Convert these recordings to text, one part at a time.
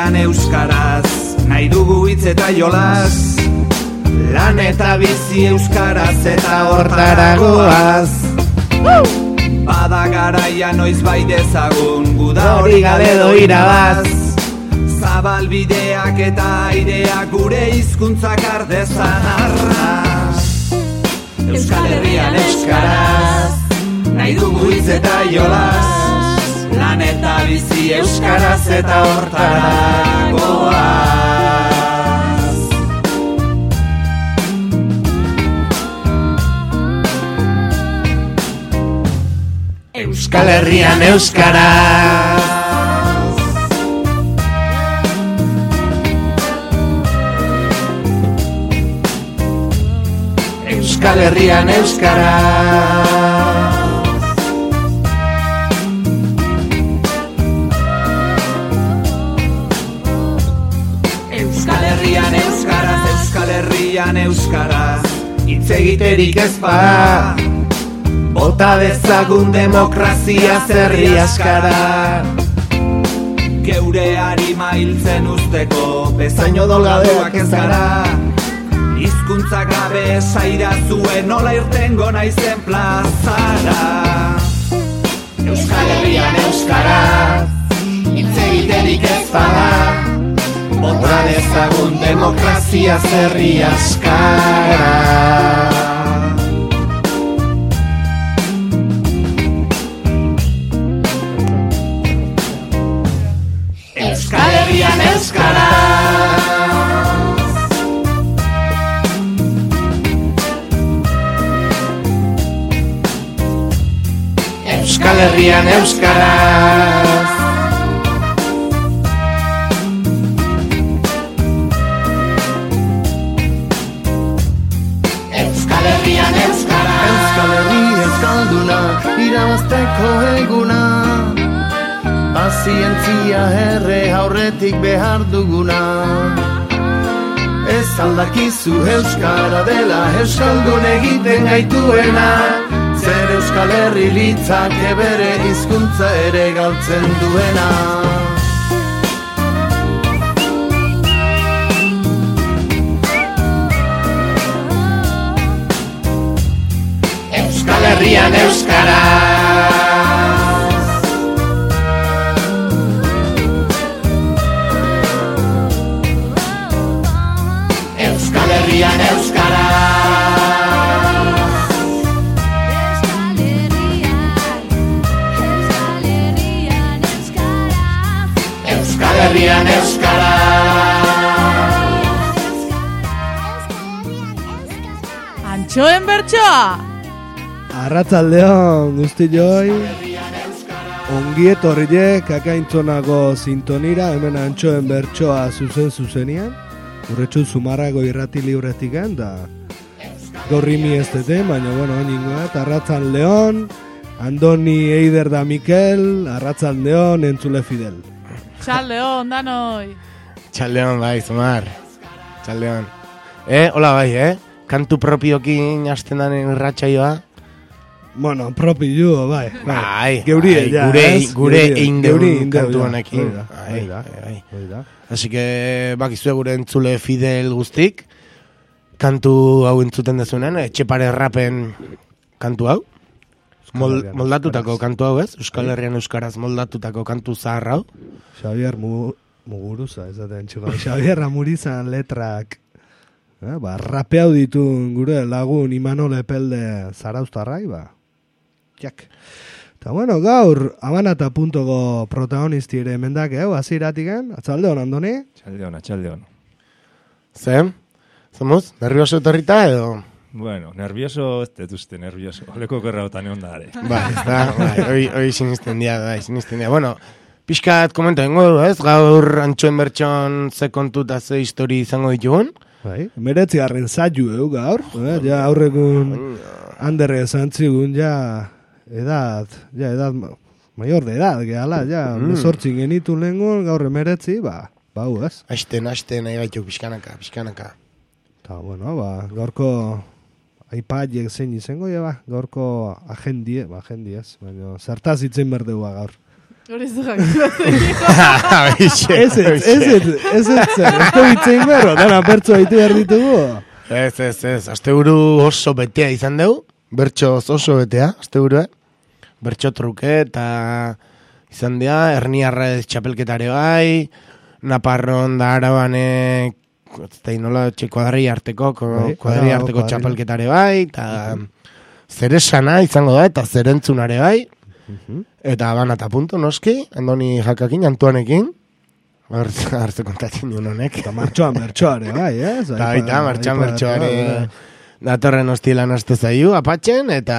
Herrian euskaraz, nahi dugu hitz eta jolas, lan eta bizi euskaraz eta hortaragoaz. Bada garaia noiz bai dezagun, guda hori gabe doirabaz. Zabalbideak eta aireak gure hizkuntzak ardezan arras. Euskal Herrian euskaraz, nahi dugu hitz eta jolas, lan eta bizi euskaraz eta hortaragoaz. Euskal Herrian euskaraz. Euskal Herrian euskaraz. Euskal Herrian euskaraz, Euskal Herrian euskaraz, hitz egiterik ez bada, bota dezagun demokrazia zerri askara. Geure harima hiltzen usteko, bezain odolgabeak ez gara. Hizkuntza gabe esaira zuen nola irtengo naizen plazara. Euskal Herrian euskaraz, hitz egiterik ez bada, bota dezagun demokrazia zerri askara. Euskal Herrian euskaraz. Euskal Herrian euskaraz. Euskal Herrian euskaraz. Euskal Herri euskalduna, irabazteko eguna, pazientzia erre aurretik behar duguna. Ez aldakizu euskara dela euskaldun egiten gaituena, zer Euskal Herri litzake bere hizkuntza ere galtzen duena. Euskal Herrian euskaraz. Euskal Herrian euskaraz. Euskal Herrian euskaraz. Antxoen bertsoa! Arratzaldeon guztioi, ongi etorriek akaintzonako sintonira, hemen antxoen bertsoa zuzenian, urretxu Zumarrago irrati libretikan, da gorrimi ez dute, baina bueno, ningoat, arratzaldeon, Andoni, Eider da Mikel, arratzaldeon, entzule Fidel. Txaldeon, danoi! Txaldeon, bai, Zumar. Txaldeon. Hola, bai, kantu propiokin hasten daren irratsaioa. Bueno, propio, bai. Geurie, ja. Gure eindeun kantu honekin. Bai. Así que, bakizue gure entzule Fidel guztik, kantu hau entzuten dezunen, Etxepare Rapen kantu hau. Moldatutako kantu hau, ez? Euskal Herrian euskaraz moldatutako kantu zahar hau. Xavier Muguruza, ezaten txuko. Xavier Amurizan letrak. Rapeau ditu gure lagun Imanol Epelde Zarauztarrai, Jak. Eta bueno, gaur, abanata.ko protagonisti ere emendak, aziratiken, atzaldeon, Andoni? Atxaldeon. Zer? Zomuz? Nervioso etorrita edo? Bueno, nervioso, ez detuzte nervioso. Oleko gerraotan egon da, ere. Hoi sinisten dia. Bueno, pixkat komento dengo, ez? Gaur antxoen bertxon ze kontu eta ze histori izango ditugun? Bai, meretzi garren zaiu gaur, ja aurregun Andere zantzigun, ja edad mayor de edad, gehala, ja, mesortzin genitu lehengun, gaur emeretzi, bau, ez? Asten, nahi gaitu, pixkanaka. Eta, bueno, gaurko iPadiek zein izango, gaurko agendiez, baina zertaz itzen berdua gaur. Hori zu jakin. Ez bitzein berro, dana bertso haitu behar ditugu. Ez, asteburu oso betea izan dugu, bertso oso betea, asteburua, bertso truke eta izan dira, Herniarrez txapelketare bai, Naparron da Arabane, nola kuadri arteko txapelketare bai, eta zeresana izango da, eta zerentzunare bai, eta Habana eta punto, noski, Andoni Jakakin, Antuanekin, hartze kontatzen duen honek. Eta martxoan bertsoare, bai, ez? Eta martxoan bertsoare datorren hostilan aste zaiu, apatxen, eta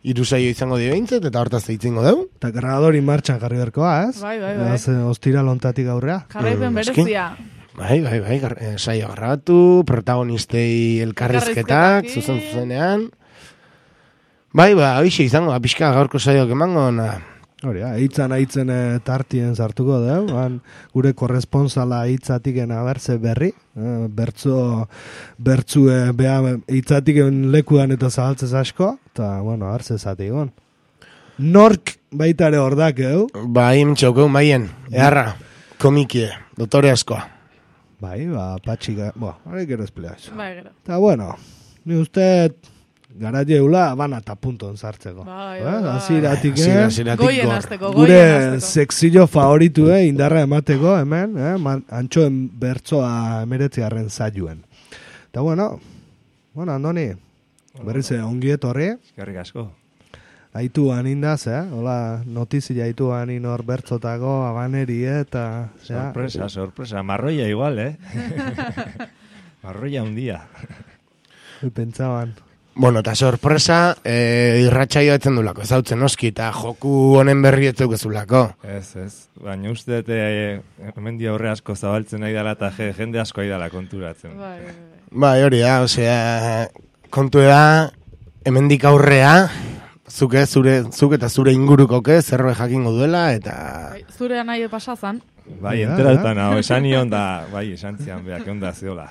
3 saio izango dio behintzet, eta hortaz zeitzingo dugu. Eta cargadori martxan jarri berkoa, ez? Bai. Ostira lontatik aurrea. Jarraipen berezia. Bai, saio grabatu, protagonistei elkarrizketak, zuzenean. Bai, hoxe izango, pixka gaurko saioak emango, Hori, aitzen tartien sartuko dugu, gure korresponsala hitzatiken abertze berri, bertzue hitzatiken lekuan eta zabaltzez asko, eta, bueno, abertze zatikon. Nork baitare hordak, Bai, mintxaukeu, maien, eharra, komikie, dotore askoa. Bai, patxika, hori gero esplea. Bai, gero. Eta, bueno, ni uste gara jeula Habana eta punton sartzeko. Bai. Aziratik, Goien azteko. Gure sexillo favoritu, indarra emateko, hemen, antxoen bertzoa 19. saioen. Eta, bueno, Andoni, berriz ongi etorri. Eskerrik asko. Aitu anindaz, hola, notizia aitu anin hor bertzotako, Habaneri, eta... Sorpresa, marroia igual, Marroia hundia. Pentsaban... Bueno, eta sorpresa, irratsaioa etzen dulako, ezautzen oski, eta joku honen berri etzukezulako. Ez, baina uste hemen aurre asko zabaltzen nahi dela, eta jende asko nahi dela konturatzen. Bai, hori da, osea, kontu da, hemendik aurrea, zuk eta zure ingurukoke, zerroe jakingo duela, eta... Zure nahi pasazan. Bai, enteratutan, esan nion da, esan zian, beak, onda zeola.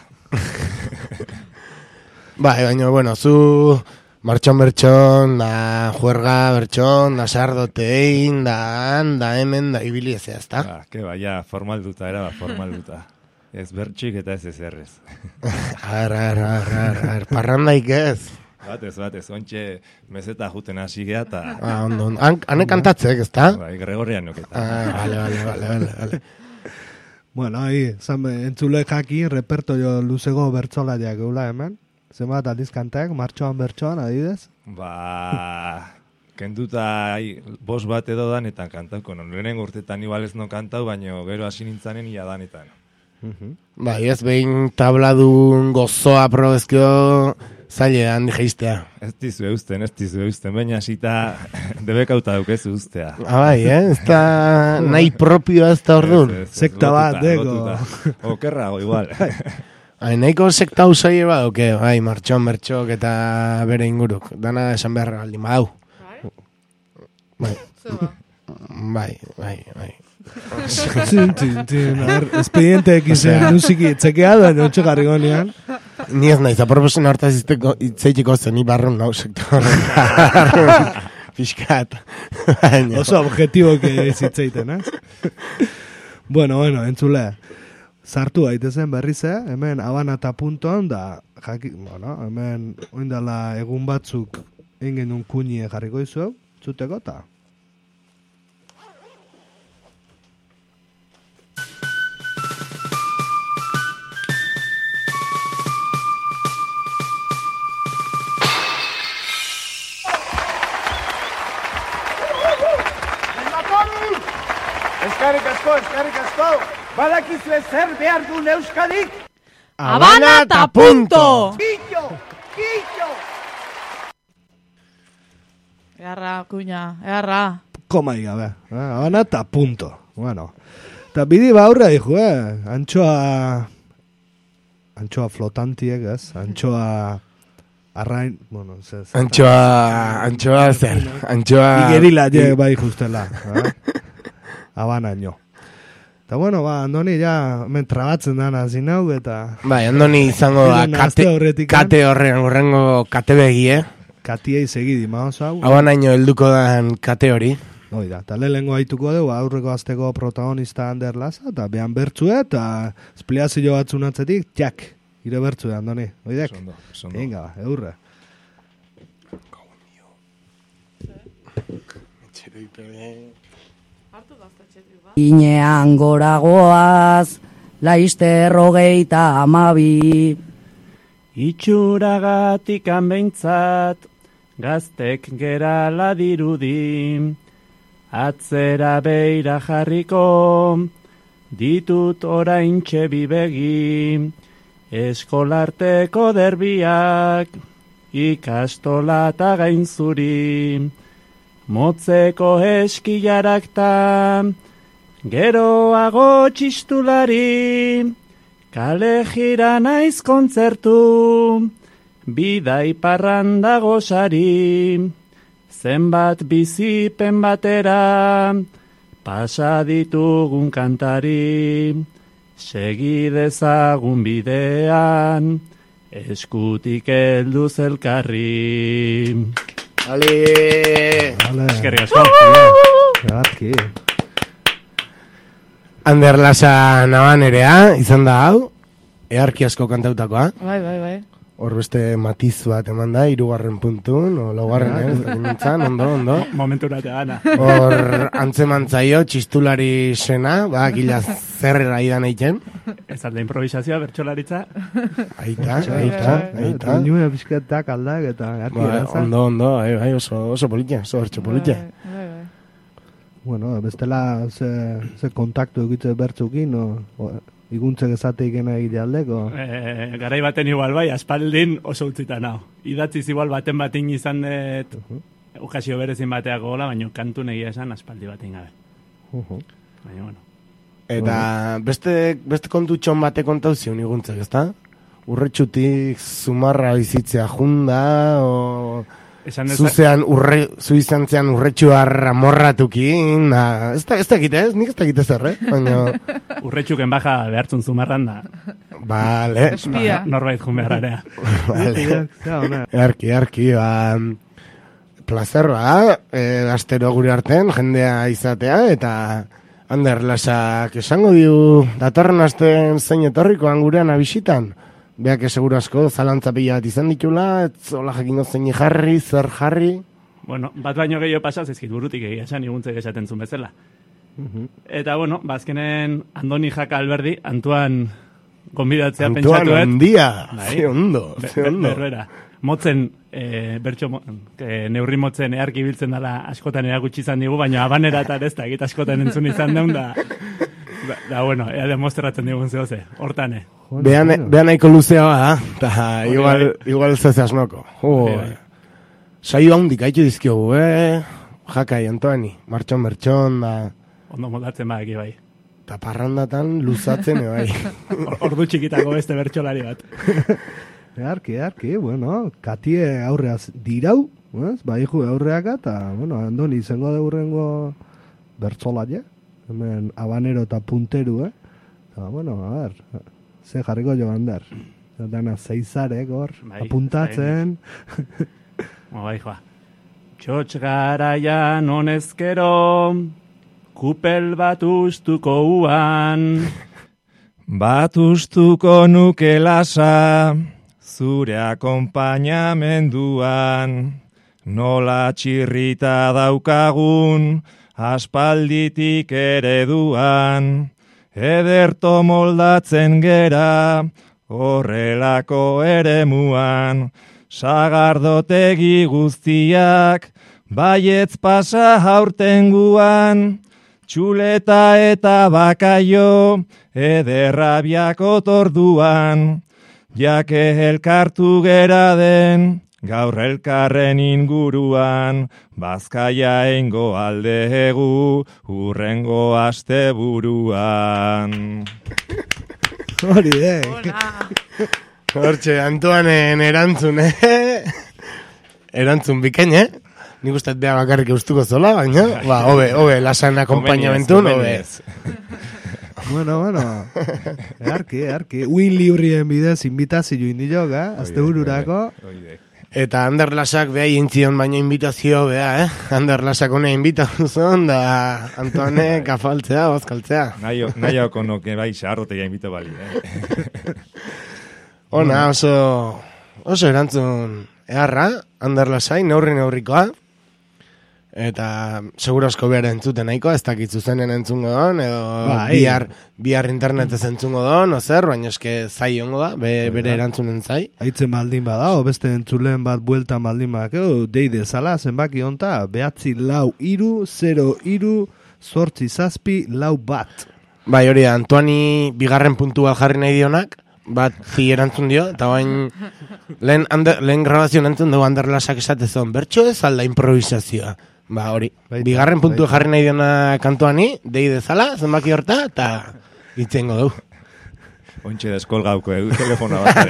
Bai, baina, bueno, zu martxon bertxon, da juerga bertxon, da sardotein, da hemen, da ibili ezea, ezta? Ja, formalduta, formalduta. Ez bertxik eta ez ezerrez. Parrandaik ez. Batez, ontxe meseta juten hasi geha, eta... Ondo, hane kantatzek, ezta? Bai, Gregorian nuketa. Vale. Bueno, entzule jakin, repertorio luzego bertzolaiak geula hemen. Zenbat aldiz kantak, martxoan bertxoan, adibidez? Kenduta 5 bat edo danetan kantauko. Lehenen urtetan igual ez no kantau, baina gero hasi nintzanen ia danetan. Bai, ez behin tabladun gozoa probezkio zaile handi geistea. Ez dizu eusten, baina hasita debekauta daukezu ustea. Bai, ez da nahi propioa ez da orduan. Sekta bat, dego. Okerrago, igual. Nahiko sekta usai badoke, martxon, bertxok eta bere inguruk. Dana esan beharra aldi madau. Bai. Espedienteek izan musiki txekeada, notxo garri gonean. Ni ez nahiz, aproposen hortaz itzeitiko zen, ni barrun nau sekta horren. Fiskat. Oso objetiboke zitzeiten, Bueno, entzule. Sartu daitezen berriz, hemen Habana eta punton, da, hemen oindala egun batzuk ingen un kunie jarriko izu, zuteko, eta... Eskerrik asko! Badakizue zer behar duen Euskadik? Habana eta punto! Killo! Earra, kuña, earra. Komai gabe, Habana eta punto. Bueno, eta bidi baurra dijo, Antxoa flotantiek, ez? Antxoa... Arrain, bueno, Antxoa zer? Antxoa... Igerila, bai justela. Habana nio. Eta bueno, Andoni ja trabatzen dana zinau eta... Bai, Andoni izango da kate horrengo kate begie. Katiei segidi, maoz hau. Habana nio helduko dan kate hori. Oida, eta lehengo haituko dugu aurreko azteko protagonista Ander Laza, eta behan bertzue, eta espliazio batzun atzetik, txak, ire bertzue, Andoni, oidek? Sondo. Venga, eurre. Inean goragoaz, laizter 32. Itxuragatik behintzat, gaztek gerala dirudi, atzera beira jarriko, ditut oraintxe bibegi, eskolarteko derbiak, ikastola eta gainzuri, motzeko eskilarakta, geroago txistulari, kale jira naiz kontzertu, bidai parranda gozari, zenbat bizipen batera, pasa ditugun kantari, segi dezagun bidean, eskutik helduz elkarri. Ale! Eskerrik asko. Garki. Ander Laza nabanerea, izan da hau, earki asko kantautakoa. Bai. Hor beste matiz bat eman da, 3. puntun, o laugarren, ondo. Momentura te gana. Hor antzemantzaio, txistulari sena, gila zerrera idan eiken. Ez alde improvisazioa, bertxolaritza. Aita. Trinua bizketak aldak eta garki erazan. Ondo, oso politia, oso bertxo politia. Bai. Bueno, bestela ze kontaktu egitze bertzukin, iguntzek ezateik egite aldeko. Garai baten igual bai, aspaldin oso utzita nao. Idatziz igual baten izan dut, okazio berezin bateak gola, baina kantu negia esan aspaldi baten gabe. Baina, bueno. Eta beste kontutxon bate kontauzion iguntzek, ezta? Urretxutik zumarra bizitzea junda, o... Zu izan zean urretxuar amorratukin, ez dakite ez, nik ez dakite zer, baina... Urretxuken baja behartzun zumarran da. Vale. Espia. Norbait jun behararea. Erki, plazerroa, astero gure arten, jendea izatea, eta Ander Lazak esango diu, datorren asten zein etorrikoan gurean abisitan. Beak seguro asko zalantza pila bat izan ditula, ez hola jakingo zein jarri, zer jarri. Bueno, bat baino gehiago pasaz, ezkit burutik egia esan iguntzek esaten zuen bezala. Eta, bueno, bazkenen Andoni Jaka Alberdi, Antuan gonbidatzea pentsatuet. Antuan ondia, ze ondo. Berbera. Motzen, neurri motzen earki biltzen dela askotan erakutsi izan digu, baina abanera eta ez da, egit askotan entzun izan deun da... Da, bueno, ea demostratzen digun zehoze, hortane. Behan nahiko luzea da, eta igual zeze asmoko. Saio handik haitu dizkiogu, Jakai, Antoani, martxon, da... Ondo moldatzen badaki bai. Eta parrandatan luzatzen, bai. Ordu txikitako beste bertxolari bat. Arki, bueno, katie aurreaz dirau, bai ju aurreaka, eta, bueno, Andoni izango deurrengo bertzolaia. Hemen habanero eta punteru, Eta, bueno, a ver, ze jarriko jo Ander. Dana zeizarek hor, apuntatzen. Bai, joa. Txotx garaian honezkero, kupel bat ustuko uan. Bat ustuko nuke Lasa, zure akompainamenduan. Nola txirrita daukagun, aspalditik ereduan, ederto moldatzen gera, horrelako eremuan, sagardotegi guztiak, baietz pasa aurtenguan, txuleta eta bakaio, ederrabiak otorduan, jake elkartu gera den, gaur elkarren inguruan, Bazkaia eingo aldegu, urrengo asteburuan. Hori Hortxe, Antoanen erantzun, Erantzun bikain, Nik usteet beha bakarrik eustuko zola, baina, hobe, Lasan akompainamentun, hobe. Bueno, earki. Uin librien bidez invitazio indioga, astebururako. Eta Ander Lasak beha jintzion baino invitazio beha, Ander Lasak hone invitatu zuen, da Antoane kafaltzea, bazkaltzea. Nahioko noke bai, xarrotea invito bali, Ona, oso erantzun eharra, Ander Lasai, neurrikoa. Eta seguro asko behar entzuten nahiko, ez dakit zuzenen entzungo don, edo bihar internetez entzungo don, ozer, baina eske zai ongo da, bere erantzunen zai. Aitzen baldin bada, beste entzulen bat bueltan baldin bada, deide zala, zenbaki onta, 9-4-0-3-0-8-7-4 Bai, hori da, Antoani bigarren puntua jarri nahi dionak, bat zi erantzun dio, eta bain lehen grabazioan entzun dugu Ander Lasak esatezon, bertxo ez alda improvisazioa. Ba, hori, bigarren puntu jarri nahi diona kantuani, deide zala, zenbaki horta, eta itzengo dugu. Ontxe deskolgauko edu telefona bat.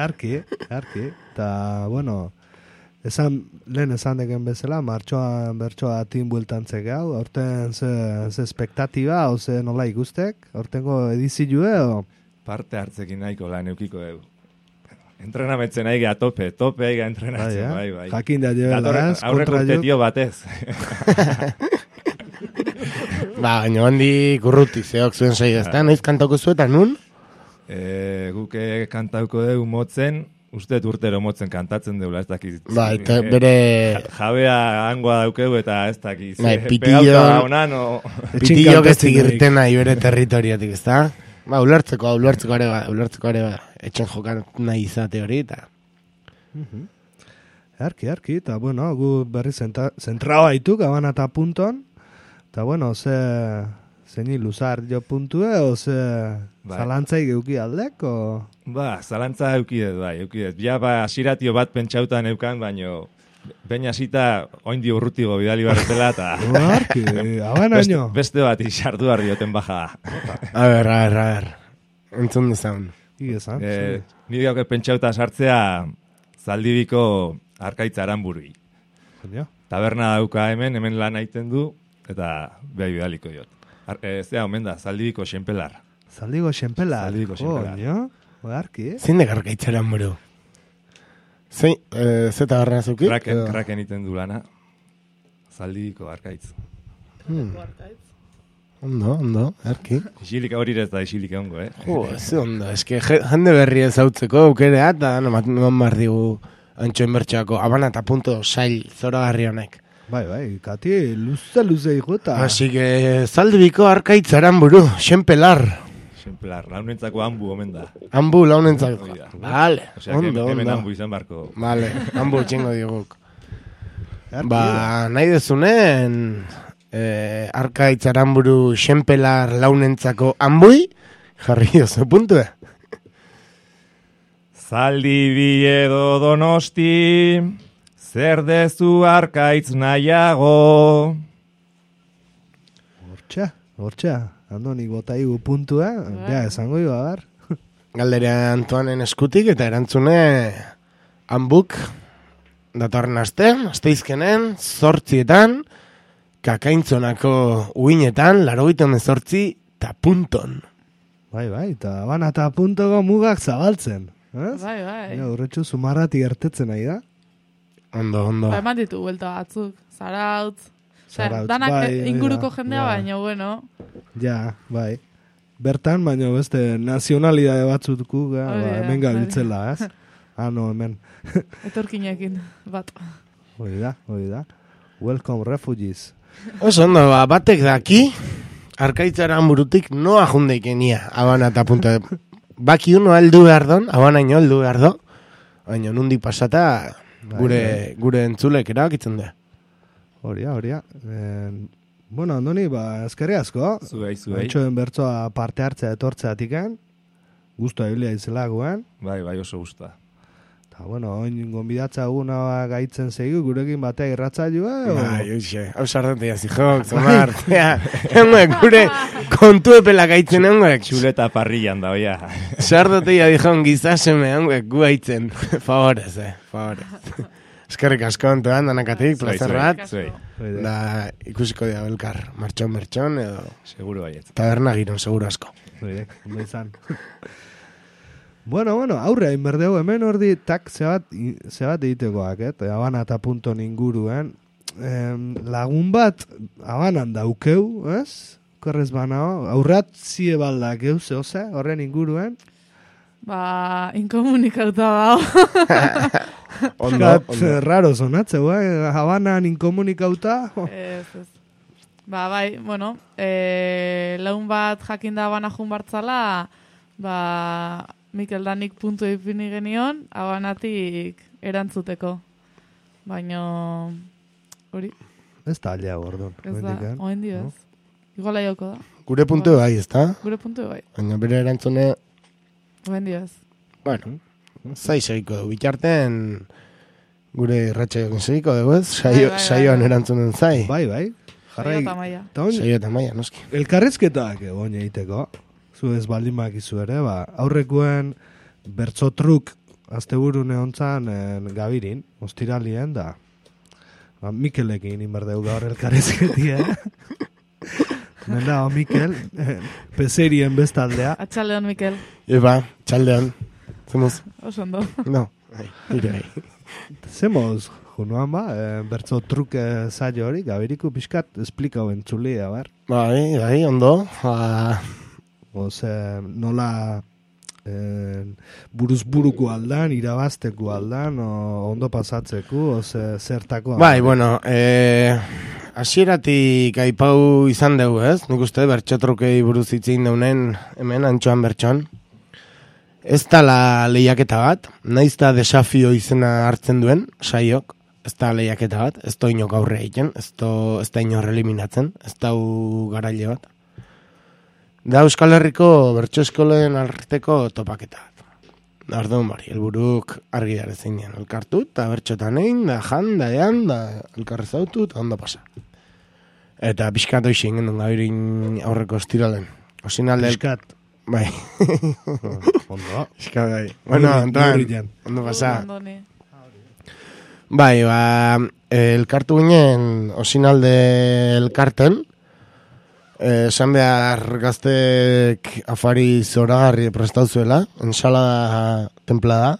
Arki, eta, bueno, lehen esan deken bezala, martxoan bertsoa tin bueltantzek hau, aurten ze espektatiba, ze nola ikustek, aurtengo edizioa, edo? Parte hartzekin nahiko lan eukiko dugu. Entrenametzen aigea tope aigea entrenatzen, bai. Jakin da jebela, ez? Aurreko urtetio batez. Ba, baina handi kurruti zeok zuen zei ezta, noiz kantauko zuetan, nun? Guke kantauko dugu motzen, uste urtero motzen kantatzen deula, ez dakiz. Ba, eta bere... Jabea hangoa daukegu eta ez dakiz. Ba, pitillo ez zigirten nahi bere territoriotik, ez da? Ba, ulertzeko ere ba, etxen jokan nahi izate hori, eta... Arki, eta, bueno, gu berri zentrao haituk, abana eta punton, eta, bueno, zein iluzar jo puntue, o zalantzai geuki aldek, o... Ba, zalantza eukidet. Ja, asiratio bat pentsautan eukan, baino... Beina zita, oindi urrutigo bidali barretela, eta... Arki, abana nio. Beste bat isartu barri oten baja. A ver. Entzun dezaun. Igezan. Nire gauke pentsauta sartzea Zaldibiko Arkaitza Aranburui. Taberna dauka hemen lan aiten du, eta behar bidaliko diot. Zea, omen da, Zaldibiko Xenpelar. Zaldibiko Xenpelar. Arki, Zindek Arkaitza Aranburu? Zeta garrana zukit? Kraken iten du lana. Zaldibiko Arkaitz. Ondo, erki. Isilik hori ez da isilik ongo, Ze ondo, eske jende berri ez hautzeko aukerea, eta eman behar digu antxoen bertxoako, abana eta punto sail zoragarri honek. Bai, kati, luze ikota. Así que, Zaldibiko Arkaitz Aranburu, Xenpelar. Xenpelar, launentzako ambu omen da. Ambu launentzako. Vale, ondo. Hemen ambu izan barko. Vale, ambu txingo diguk. Ba, nahi dezunen... Arkaitz Aranburu Xenpelar launentzako ambui, jarri oso puntue. Zaldibi edo Donosti, zer dezu Arkaitz nahiago. Hortxa, Andonik bota igu puntua, bea esango iba, bar. Galdera Antoanen eskutik eta erantzune ambuk datorren asteizkenen, 8 Kakaintzonako uinetan, 98 eta punton. Bai, eta abana eta puntoko mugak zabaltzen. Bai. Horretxu sumarrati gertetzen nahi da. Ondo. Ba, eman ditu buelta batzuk. Zarautz, danak inguruko jendea baino, bueno. Ja, bai. Bertan, baino beste nazionalidade batzutuku, hemen gabiltzela, ez? No, hemen. Etorkinekin, bat. Hoi da. Welcome refugees. Oso ondo, batek daki, Arkaitz Aranburutik noa jundeikenia, abana eta punta. Baki uno aldu behar don, abana ino aldu behar do, baina nundik pasata gure entzulek erabakitzen da. Horia. Bueno, Andoni, eskerri asko. Zuei. Antxoen bertsoa parte hartzea etortzeatiken. Guztua hilia izela guen. Bai, oso guztua. Bueno, oin gonbidatza eguna gaitzen zegu, gurekin batea irratzailua, Bai, hau sardote jazi jok, zomar. Gure kontu epela gaitzen honguek. Txuleta parrillan da, oia. Sardote jazi jok gizaseme honguek gu gaitzen. Favorez. Eskerrik asko ontuan, danakatik, plazer bat. Da, ikusiko dia belkar, martxon, edo... Seguro baiet. Taberna giron, seguro asko. Ondo izan. Bueno, aurre hain berdeu, hemen ordi tak zebat egitekoak, Habana eta punton inguruen. Lagun bat, Habanan daukeu, ez? Korrez banao, aurrat zie baldak zehose, horren inguruen. Inkomunikauta dao. Ondo. Raro zonatzeu, Habanan inkomunikauta. Ez. Bai, bueno, lagun bat jakinda Habana jun bartzala, Mikel Danik puntu ipini genion, Habanatik erantzuteko. Baina, hori. Ez da aldea gordon. Ez da, oen dio ez. Iguala joko da. Gure puntu bai, ez da? Gure puntu bai. Baina bere erantzune... Oen dio ez. Bueno, zai segiko du. Bitarten gure irratxaiokin segiko dugu ez? Saioan erantzunen zai. Bai. Saio eta maia. Saio eta maia, noski. Elkarrezketak egon egiteko. Zu ez baldin bakizu ere, Aurrekoen bertzotruk asteburune hontzan gabirin, ostiralien da. Mikelekin inberdeu gaur elkarrezketia. Nenda, Mikel, peserien bestaldea. Atxaldeon, Mikel. Eba, txaldeon. Zemoz? Osondo. No, bai. Zemoz, junuan bertzo truke zailo hori, gabiriku pixkat, esplikau entzulia, bar? Bai, ondo. Nola buruzburuko aldan, irabazteko aldan, ondo pasatzeko, zertako. Bai, bueno, hasieratik aipau izan dugu, ez? Nik uste bertxotrukei buruz itzein daunen hemen antxoan bertxoan. Ez da lehiaketa bat, naiz da desafio izena hartzen duen, saiok, ez da lehiaketa bat, ez da inok aurre egiten, ez da inor eliminatzen, ez da garaile bat. Da Euskal Herriko bertso eskolen arteko topaketa bat. Orduan bari, helburuk argi dara zeinean, elkartu, eta bertxotan egin, da jan, da ean, da elkarrezautu, eta ondo pasa. Eta pixkat hoxi ingen duen gabirin aurreko estiralen. Pixkat. Bai. Ondo. Pixkat bai. Bueno, Antoan, ondo pasa. Bai, elkartu ginen osinalde elkarten, esan behar gaztek afari zoragarri prestauzuela, ensalada templada,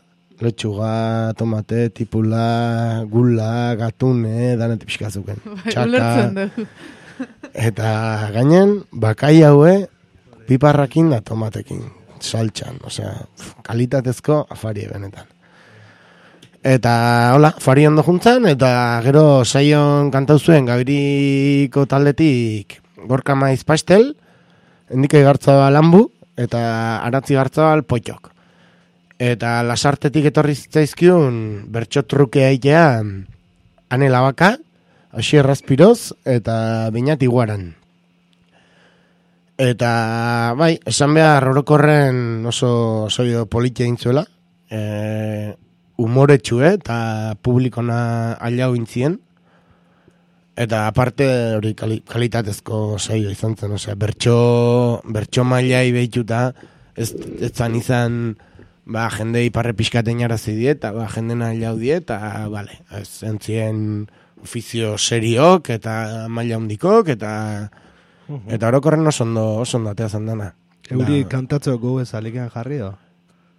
letxuga, tomate, tipula, gula, gatune, danetik pixkazuken. Txaka. Eta gainen, bakai haue, piparrakin da tomatekin, saltxan, osea, kalitatezko afari benetan. Eta, hola, afari ondo juntzan, eta gero saion kantau zuen Gabiriko taldetik Gorka Maiz Pastel, Endike Gartzabal Lambu, eta Aratzi Gartzabal Potxok. Eta lasartetik etorri zitzaizkiun bertxotruke aitea Ane Labaka, Asier Razpiroz, eta Beñat Iguaran. Eta, bai, esan behar orokorren oso soio politia intzuela, humoretxue eta publikona ailau intzien, eta aparte hori kalitatezko saio izan zen, osea, bertso mailai behituta, ez zan izan, jende iparre pixkaten jarazi diet, eta jendena ailau diet, eta, bale, ez zentzien ofizio seriok, eta maila hundikok, eta orokorren oso ondo atea zandana. Euri kantatzeko goez alikean jarri do?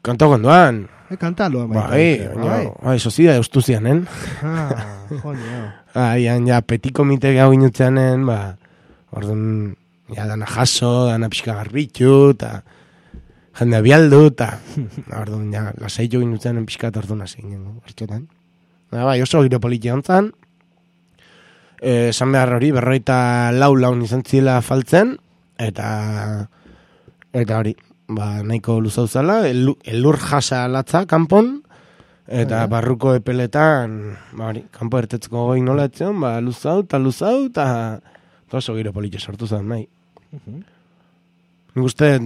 Kanta gondoan. Kantalo. Bai, sozida eustuzianen. Joño. Ja, petit komite gau inutzeanen, orduan, dana jaso, dana pixka garbitu, eta jende abialdu, eta orduan, lasaitu inutzeanen pixka orduan hasi ginen, bertxotan. Bai, oso giro politia ontzan, esan behar hori, 54 laun izan zila faltzen, eta hori, nahiko luzauzala, elur jasa latza kanpon, eta barruko epeletan, kanpo ertetzeko goi nola etzion, luzau, eta oso giro politia sortu zen, nahi. Nik uste,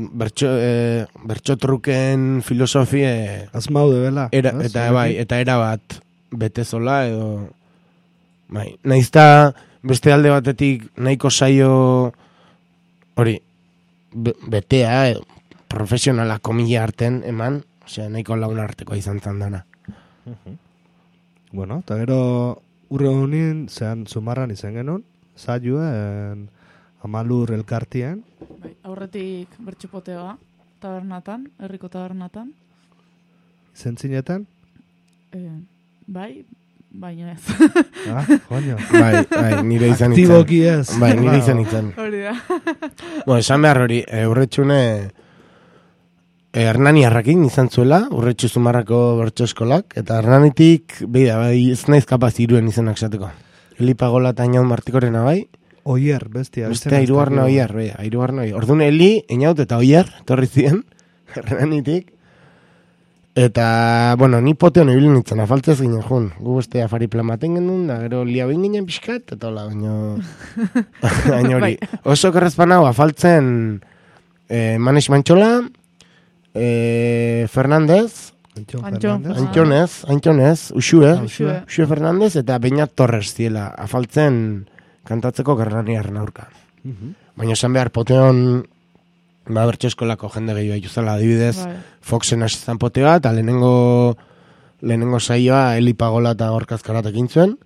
bertxotruken filosofie... Azmaude, bela. Eta erabat betezola, edo... Naizta beste alde batetik nahiko saio hori betea, profesionala komila arten eman, osea, nahiko lagun artekoa izan dana. Bueno, eta gero urre honin, zean zumarran izan genuen, saioen Amalur elkartien. Aurretik bertxupoteoa, tabernatan, herriko tabernatan. zentzinetan? Bai, baina ez. Joño. Bai, nire izan itzen. Aktiboki ez. Bai, nire izan itzen. Hori da. Esan behar hori, urretxune Hernaniarrakin izan zuela, urretxu Zumarrako bertso eskolak, eta Hernanitik, bai, ez naiz kapaz iruen izenak esateko. Eli Pagola eta Inaut Martikorena bai. Oier, bestia. Bestia, hirugarna Oier, bai, hirugarna Oier. Orduan Eli, Inaut eta Oier, torri ziren, Hernanitik. Eta, bueno, ni poteo ibili nintzen, afaltzez ginen jun. Gu beste afari plan baten genuen, da gero lia behin ginen pixkat, eta hola, baina hori. Oso kerrezpan hau, afaltzen Manes Mantxola, Fernandez, Antxonez, Uxue Fernandez, eta Beñat Torres ziela, afaltzen kantatzeko Hernaniarren aurka. Baina esan behar poteon, bertso eskolako jende gehiago juzala, adibidez, Foxen asizan potea, eta lehenengo saioa Eli Pagola eta Gorkazkaratek intzuen,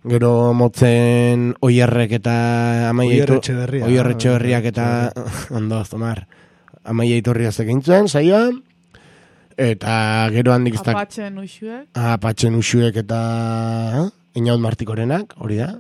gero motzen Oierrek eta Oier Etxeberriak eta ondo, Zomar, Amaia Iturriazek intzuen saioa, eta gero handik Apatxen Uxuek eta Inaut Martikorenak, hori da.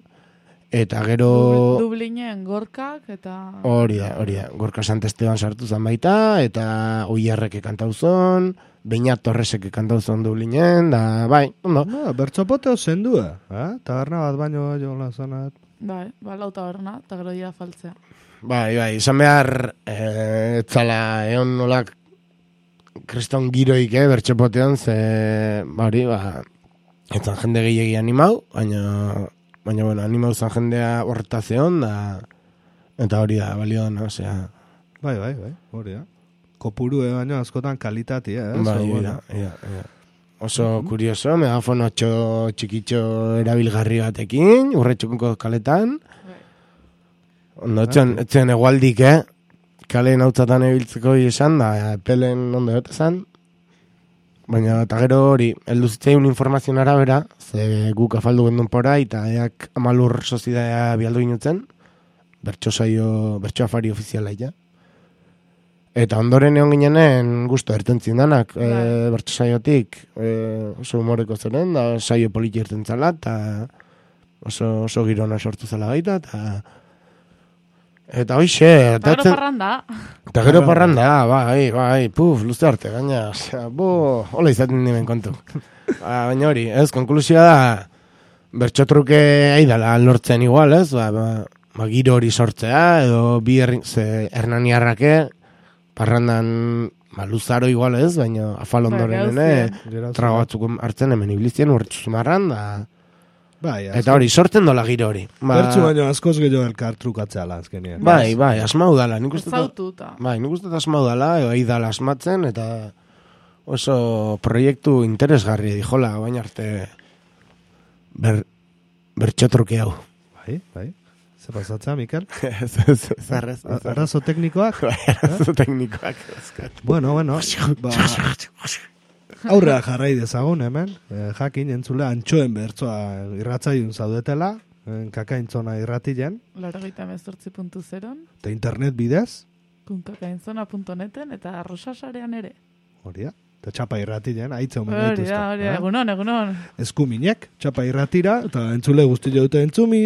Eta gero... Dublinen Gorkak eta... Hori da. Gorka Santesteban sartu zan baita, eta Oierreke kantauzon, Beñat Torreseke kantauzon Dublinen, da, bai, ondo. Bertzopoteo zendua, taberna bat baino jola zanat. Bai, lau taberna, eta gero dira faltzea. Bai, izan behar, etzala, egon nolak kriston giroik, bertxopotean, ze, bari, etzan jende gehiagi animau, baina, bueno, animau zan jendea horreta zeon, eta hori da, balio dana, osea. Bai, hori da. Kopuru baina askotan kalitatea, Bai, ia. Oso kurioso, megafono txikitxo erabilgarri batekin, urretxuko kaletan. Ondo, etzen egualdik, kaleen hautzatan ebiltzeko esan, da, pelen ondo jotezan. Baina, eta gero hori, elduzitzaiun informazioan arabera, ze guk afaldu gendun pora, eta eak amalur sozidea bialdu inutzen, bertso afari ofiziala ja. Eta ondoren egon ginenen guztu ertentzin danak, bertso saiotik, oso humoreko zeren, da saio politi ertentzala, eta oso girona sortu zela baita, eta hoxe... Eta gero parranda. Eta gero parranda, bai, luze arte, gaina, hola izaten nimen kontu. Baina hori, konklusioa da, bertxotruke aidala lortzen igual, giro hori sortzea, edo bi Hernaniarrake, parrandan luzaro igual baina afal ondoren trago batzuk hartzen hemen iblizien urretxu Zumarran, eta hori, sortzen dola giro hori. Bertzu baino askoz gehiago elkar trukatzea azkenean. Bai, asmau dala. Nik uste asmau dala, aidala asmatzen, eta oso proiektu interesgarri dijola, baina arte bertxotruke hau. Bai. Ze pasatza, Mikel? Zarrez. Arazo teknikoak? Arazo teknikoak. Bueno. Aurrea jarrai dezagun hemen, jakin entzule antxoen bertzoa irratzaiun zaudetela, kakaintzona irratilen. 98.0. Eta internet bidez. .kakaintzona.neten eta arrosasarean ere. Hori da. Eta txapa irratilen, haitze omen gaituzta. Hori da, egunon. Eskuminek, txapa irratira, eta entzule guzti jaute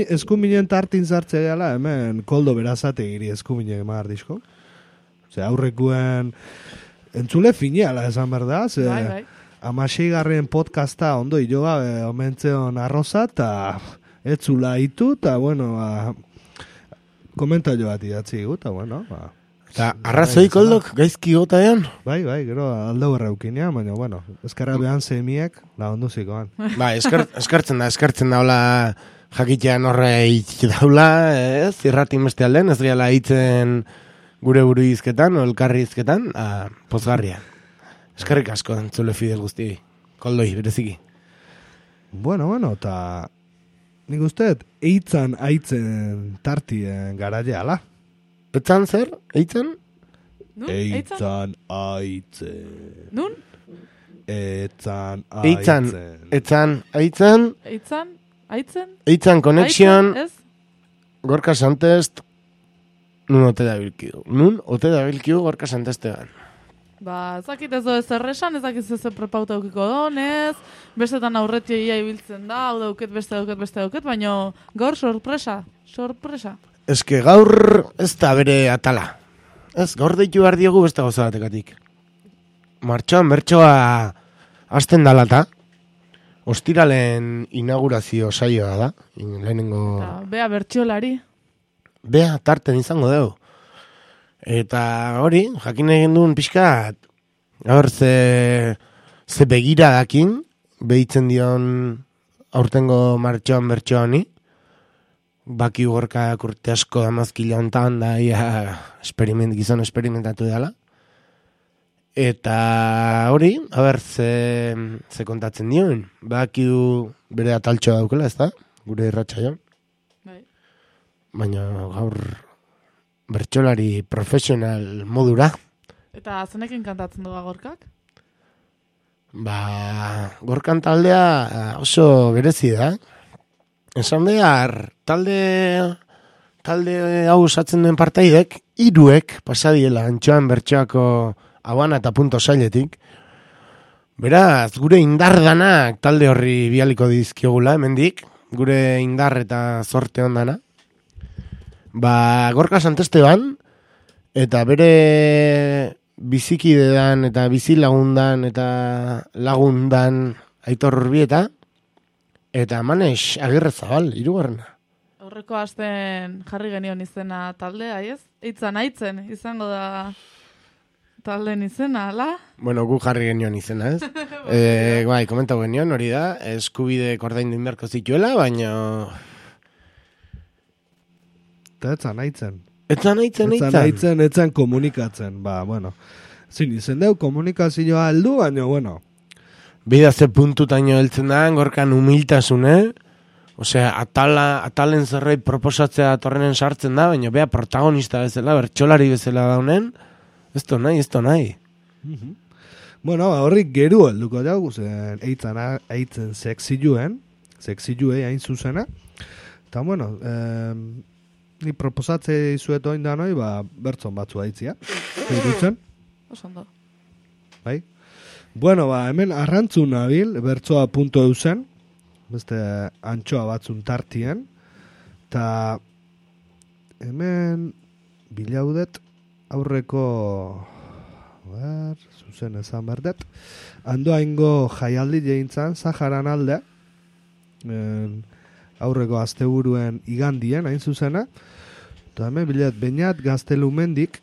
eskuminen tartin zartzea gala, hemen koldo berazate giri eskuminek emar disko. Aurrekuen... Entzule fineala esan berda, ze Amaseigarren podcasta ondo iloa omentzeon arroza, eta etzula itu, eta bueno, komentario bat idatzi gu, eta bueno, Eta arrazoi koldok gaizki gota ean? Bai, gero aldau erraukinean, baina bueno, eskarra behan zemiek, ondo zikoan. Eskartzen da, hola jakitean horre daula, irratin beste alden, ez gehala hitzen... gure buru izketan, elkarri izketan, pozgarria. Eskerrik asko, entzule fidel guzti, koldoi, bereziki. Bueno, eta nik usteet, eitzan aitzen tartien garaia, ala? Eitzan zer? Eitzan? Eitzan aitzen. Nun? Eitzan aitzen. Eitzan konexion, Gorka Santest, Nun ote da bilkiu Gorka Santestean. Ezakit ez ez erresan, ezakit ez prepauta eukiko donez, bestetan aurretia ia ibiltzen da, hau dauket, beste dauket, baina gaur sorpresa. Ez que gaur ez da bere atala. Ez, gaur deitu behar diogu beste gauza batekatik. Martxoan bertsoa hasten dalata, ostiralen inaugurazio saioa da, lehenengo... Bea bertsolari. Bea tarten izango dugu. Eta hori, jakin egin duen pixkat, gaur ze begira dakin, behitzen dion aurtengo martxoan bertsoa honi, baki gorkak urte asko damazkila hontan da gizon esperimentatu dela. Eta hori, ze kontatzen dion, baki bere ataltxoa daukela, ez da? Gure irratsaioan. Baina gaur bertsolari profesional modura. Eta zenekin kantatzen dugu gorkak? Gorkan taldea oso berezi da. Esan behar, talde hau osatzen duen partaidek, 3 pasadiela antxoan bertsoako abana eta punto sailetik. Beraz, gure indardanak talde horri bialiko dizkiogula, hemendik, gure indar eta zorte ondana. Gorka Santesteban, eta bere bizikidedan eta bizilagundan eta lagundan Aitor Urbieta, eta Manes Agirrezabal, 3. Aurreko asten jarri genion izena taldea, ez? Aitzen izango da talden izena, ala? Bueno, gu jarri genion izena, ez? Komentau genion, hori da, eskubide ordaindu inberko zituela, baina... Eta etzan aitzen. Komunikatzen, zin izen deu komunikazioa aldu, baina, bueno. Bida ze puntutaino heltzen da, gorkan humiltasune, osea, atalen zerbait proposatzea torrenen sartzen da, baina bea protagonista bezala, bertsolari bezala daunen, ez to nahi. Bueno, horrik geru helduko jau, zen eitzen seksijue hain zuzena, eta, bueno, ni proposatze izuet oin da noi, bertzon batzu aitzia. Eirutzen? Osondo. Bai? Bueno, hemen arrantzun nabil, bertzoa punto eusen, beste antxoa batzun tartien, eta hemen bilaudet aurreko, zuzen ezan berdet, handoaingo jaialdi jeintzan, Zaharan alde, aurreko asteburuen igandien, hain zuzena, eta hemen bilet, Beñat Gaztelumendik,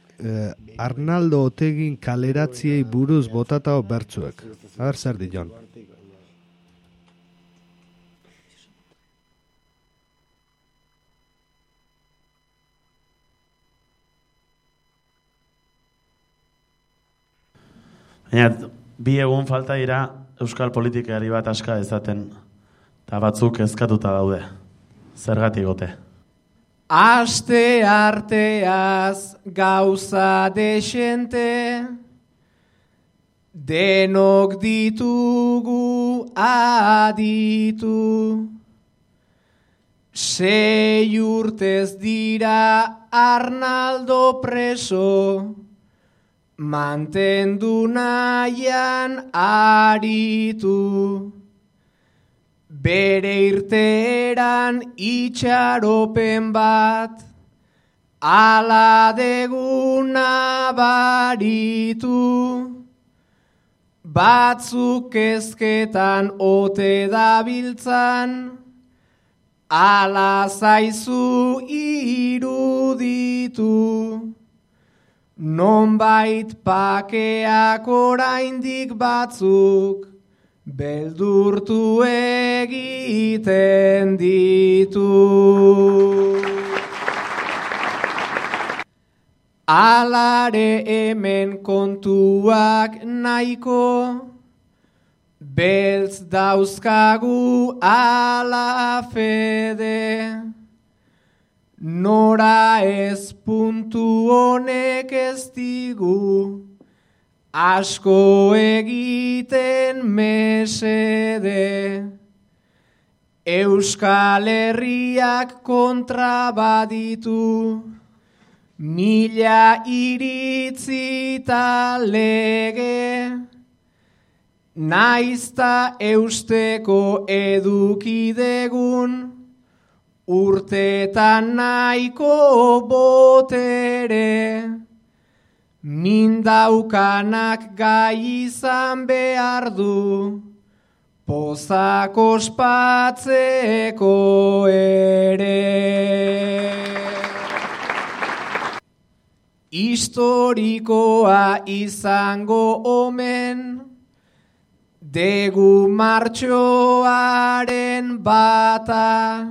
Arnaldo Otegin kaleratziei buruz botatao bertzuek. Zer dion. Baina, 2 egun falta dira euskal politikari bat aska ezaten, eta batzuk ezkatuta daude. Zergatik gote. Aste arteaz gauza desente, denok ditugu aditu. 6 urtez dira Arnaldo preso, mantendu nahian aritu. Bere irteeran itxaropen bat, ala deguna baritu. Batzuk ezketan ote dabiltzan, ala zaizu iruditu. Nonbait pakeak oraindik batzuk, beldurtu egiten ditu. Alare hemen kontuak nahiko, beltz dauzkagu ala fede. Nora ez puntu honek ez digu, asko egiten mesede. Euskal Herriak kontra baditu, Mila iritzi ta lege, naizta eusteko edukidegun, urtetan nahiko botere, mindaukanak gai izan behar du, pozak ospatzeko ere. Historikoa izango omen, degu martxoaren bata,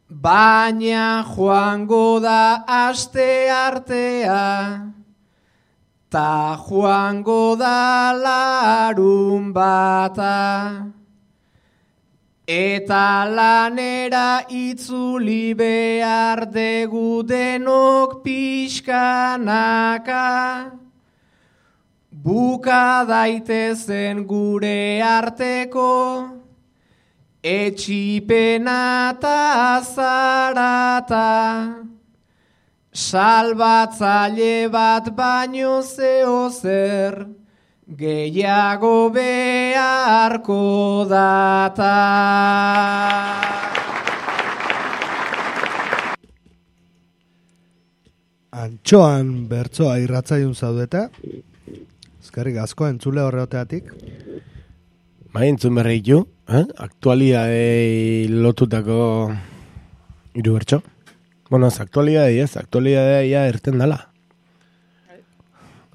baina joango da aste artea, ta joango da larun bata. Eta lanera itzuli behar degu denok pixkanaka, buka daitezen gure arteko, etxipena ta zarata, salbatzaile bat baino zeo zer, gehiago beharko data. Antxoan bertsoa irratzaiun zaudeta, eskerrik asko entzule horreoteatik. Bai, entzun berreitu, aktualidadei lotutako hiru bertso. Bueno, aktualidadea ia irten dala.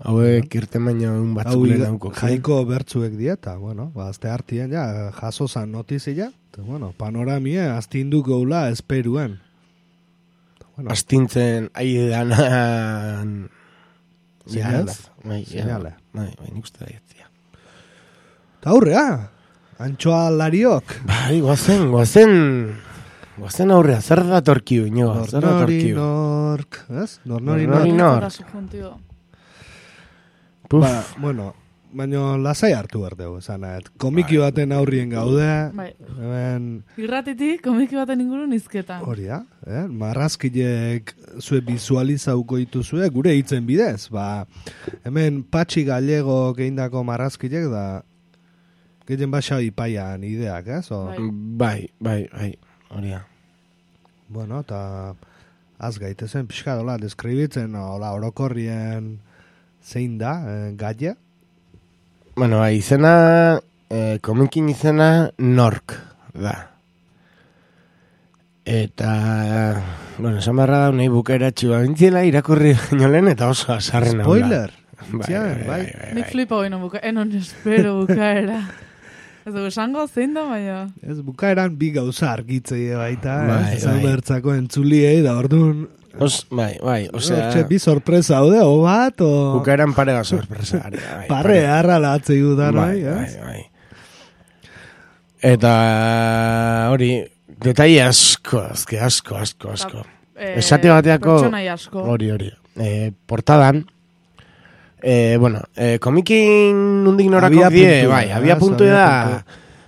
Hauek irten baina un batzuk lehenauko. Jaiko bertzuek dieta, bueno, azte hartien ja, jaso zan notizia, bueno, panoramie astinduko ula esperuen. Bueno, astintzen aidanan Seinale. Bai, nik uste da jetzia. Ta aurrea, antxoa lariok. Bai, guazen aurrea, zer datorkiu, inoa, zer datorkiu. Nork, ez? Nork. Ba, bueno, baina lasai hartu behar dugu, esanet. Komiki baten aurrien gaude. Bai. Hemen... Irratitik, komiki baten ingurun izketan. Hori da, marrazkilek zue bizualizauko dituzue, gure hitzen bidez. Ba, hemen Patxi Gallego geindako marrazkilek da, gehien basa ipaian ideak, ez? Bai, hori da. Bueno, eta az gaitezen pixka dola, deskribitzen, orokorrien... Zein da, gaia? Bueno, izena, komikin izena Nork da. Eta, bueno, esan barra da, nahi bukaeratxua bintziela irakurri nolen eta oso azarren hau da. Spoiler! Bai. Nik flipa hoino enon espero bukaera. Ez dugu esango zein da, baina. Ez bukaeran bi gauza argitzei baita, ezan bertzako entzuliei da orduan... Bai, osea... bi sorpresa haude, o bat, o... Bukaeran parega sorpresa. Parre harra latzei dudan, bai. Eta hori, detai asko. Esate bateako... Pertsonai asko. Hori. Portadan, bueno, komikin nundik norako die, bai, abia puntu da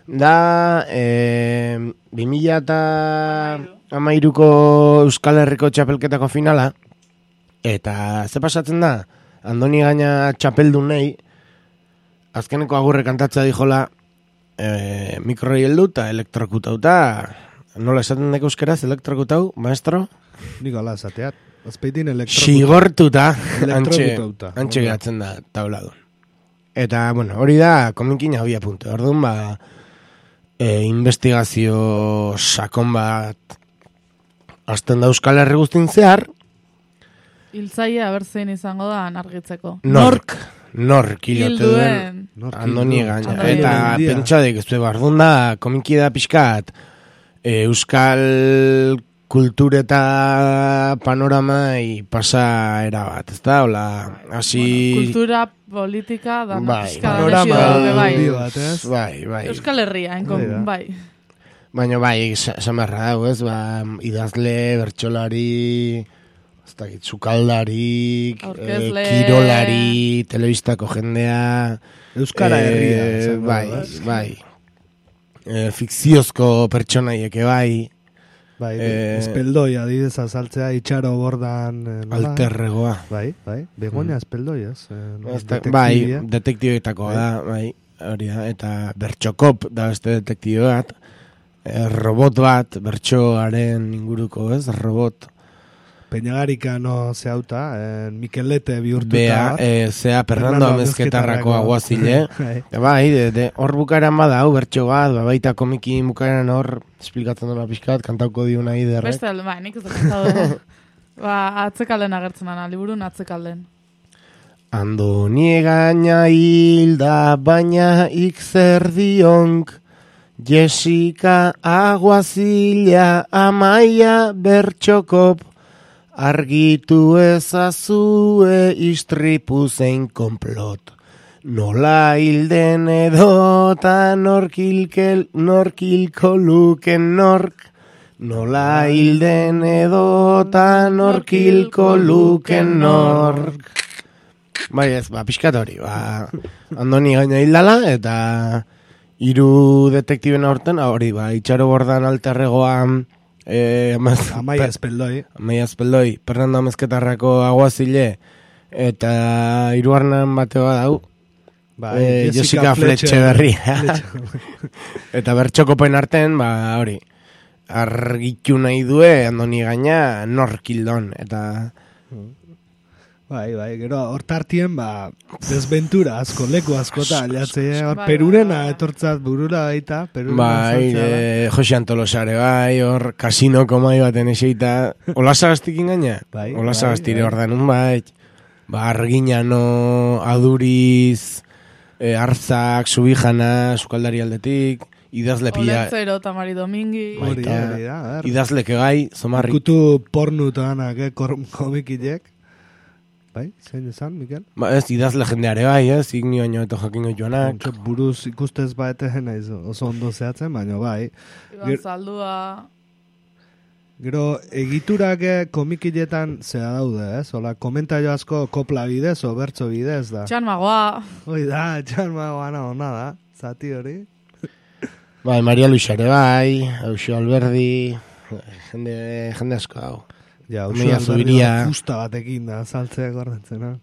2013ko Euskal Herriko txapelketako finala, eta ze pasatzen da, Andoni Gaina txapeldun nahi, azkeneko agurre kantatzea dijola, mikroi heldu eta elektrokutauta, nola esaten deko euskeraz, elektrokutau, maestro? Nik ala esateat, azpeitin sigortuta, antxe gehatzen da tabladun. Eta, bueno, hori da, komikin abia puntu. Orduan, investigazio sakon bat azten da Euskal Herri guztin zehar. Hiltzaia abertzein izango da argitzeko. Nork hilote duen Andoni Gaina. Eta pentsadik ez du bardun da, komiki da pixkat Euskal kultur eta panorama pasa erabat, ez da? Hola, hasi... Kultura, politika, da pixka bai. Euskal Herria, bai. Baina esan beharra dago, ez? Idazle, bertsolari, sukaldari, kirolari, telebistako jendea... Euskara herria. Bai. Fikziozko pertsonaieke bai. Bai, espeldoi adibidez azaltzea, itxaro bordan... Alterregoa. Bai, Begoña espeldoi, ez? Bai, detektiboetako da, bai, hori da, eta Bertxokop da beste detektibo bat, robot bat, bertsoaren inguruko, ez? Robot. Peñagarika no zehauta, Mikelete bihurtuta. Bea, zea Fernando Amezketarrako aguazile. Bai, hor bukaeran bada, hau bertso bat, baita komiki bukaeran hor, esplikatzen duna pixkat, kantauko diuna iderrek. Beste, nik ez da kantau. Atzekalden agertzen ana, liburun atzekalden. Andoni gaina hilda, baina ikzer dionk, Jessica aguazila, Amaia Bertxokop, argitu ezazue istripu zein konplot. Nola hilden edota norkilko luken nork. Nola hilden edota norkilko luken nork. Bai ez, pixkat hori, Andoni gaina hildala, eta hiru detektiben aurten, hori, itxaro bordan alterregoan, Amaia espeldoi, Fernando Amezketarrako aguazile, eta hirugarren bateo dau, Jessica Fletxe berria. Eta Bertxokopen arten, hori, argitu nahi due, Andoni gaina, norkildon, eta... Bai, gero hortartien, desventura asko, leku askota, Perurena etortzat burura baita, Bai, Jose Antolosare, bai, hor kasinoko mai baten eseita, Olasagastikin gaina? Bai, Olasagastire hor danun, bai, Arginano, Aduriz, Arzak, Subijana, Sukaldari aldetik, idazle pila... Oletzero, Tamari Domingi... Idazleke gai, zomarri... Ikutu pornutoanak, komikilek. Bai, zein esan, Mikel? Ez, idazle jendeare bai, ez, igni baino eto jakingo joanak. Buruz ikustez baete naiz oso ondo zehatzen, baina bai. Iban Zaldua... Gero, egiturak komikiletan zera daude, ez? Ola, komentario asko kopla bidez, o bertso bidez, da. Txanmagoa. Hoi da, txanmagoa ona da, zati hori. Bai, Maria Luisare bai, Eusio Alberdi, jende asko hau. Ja, Eusio Alberdi justa batekin da, saltzea gordatzen,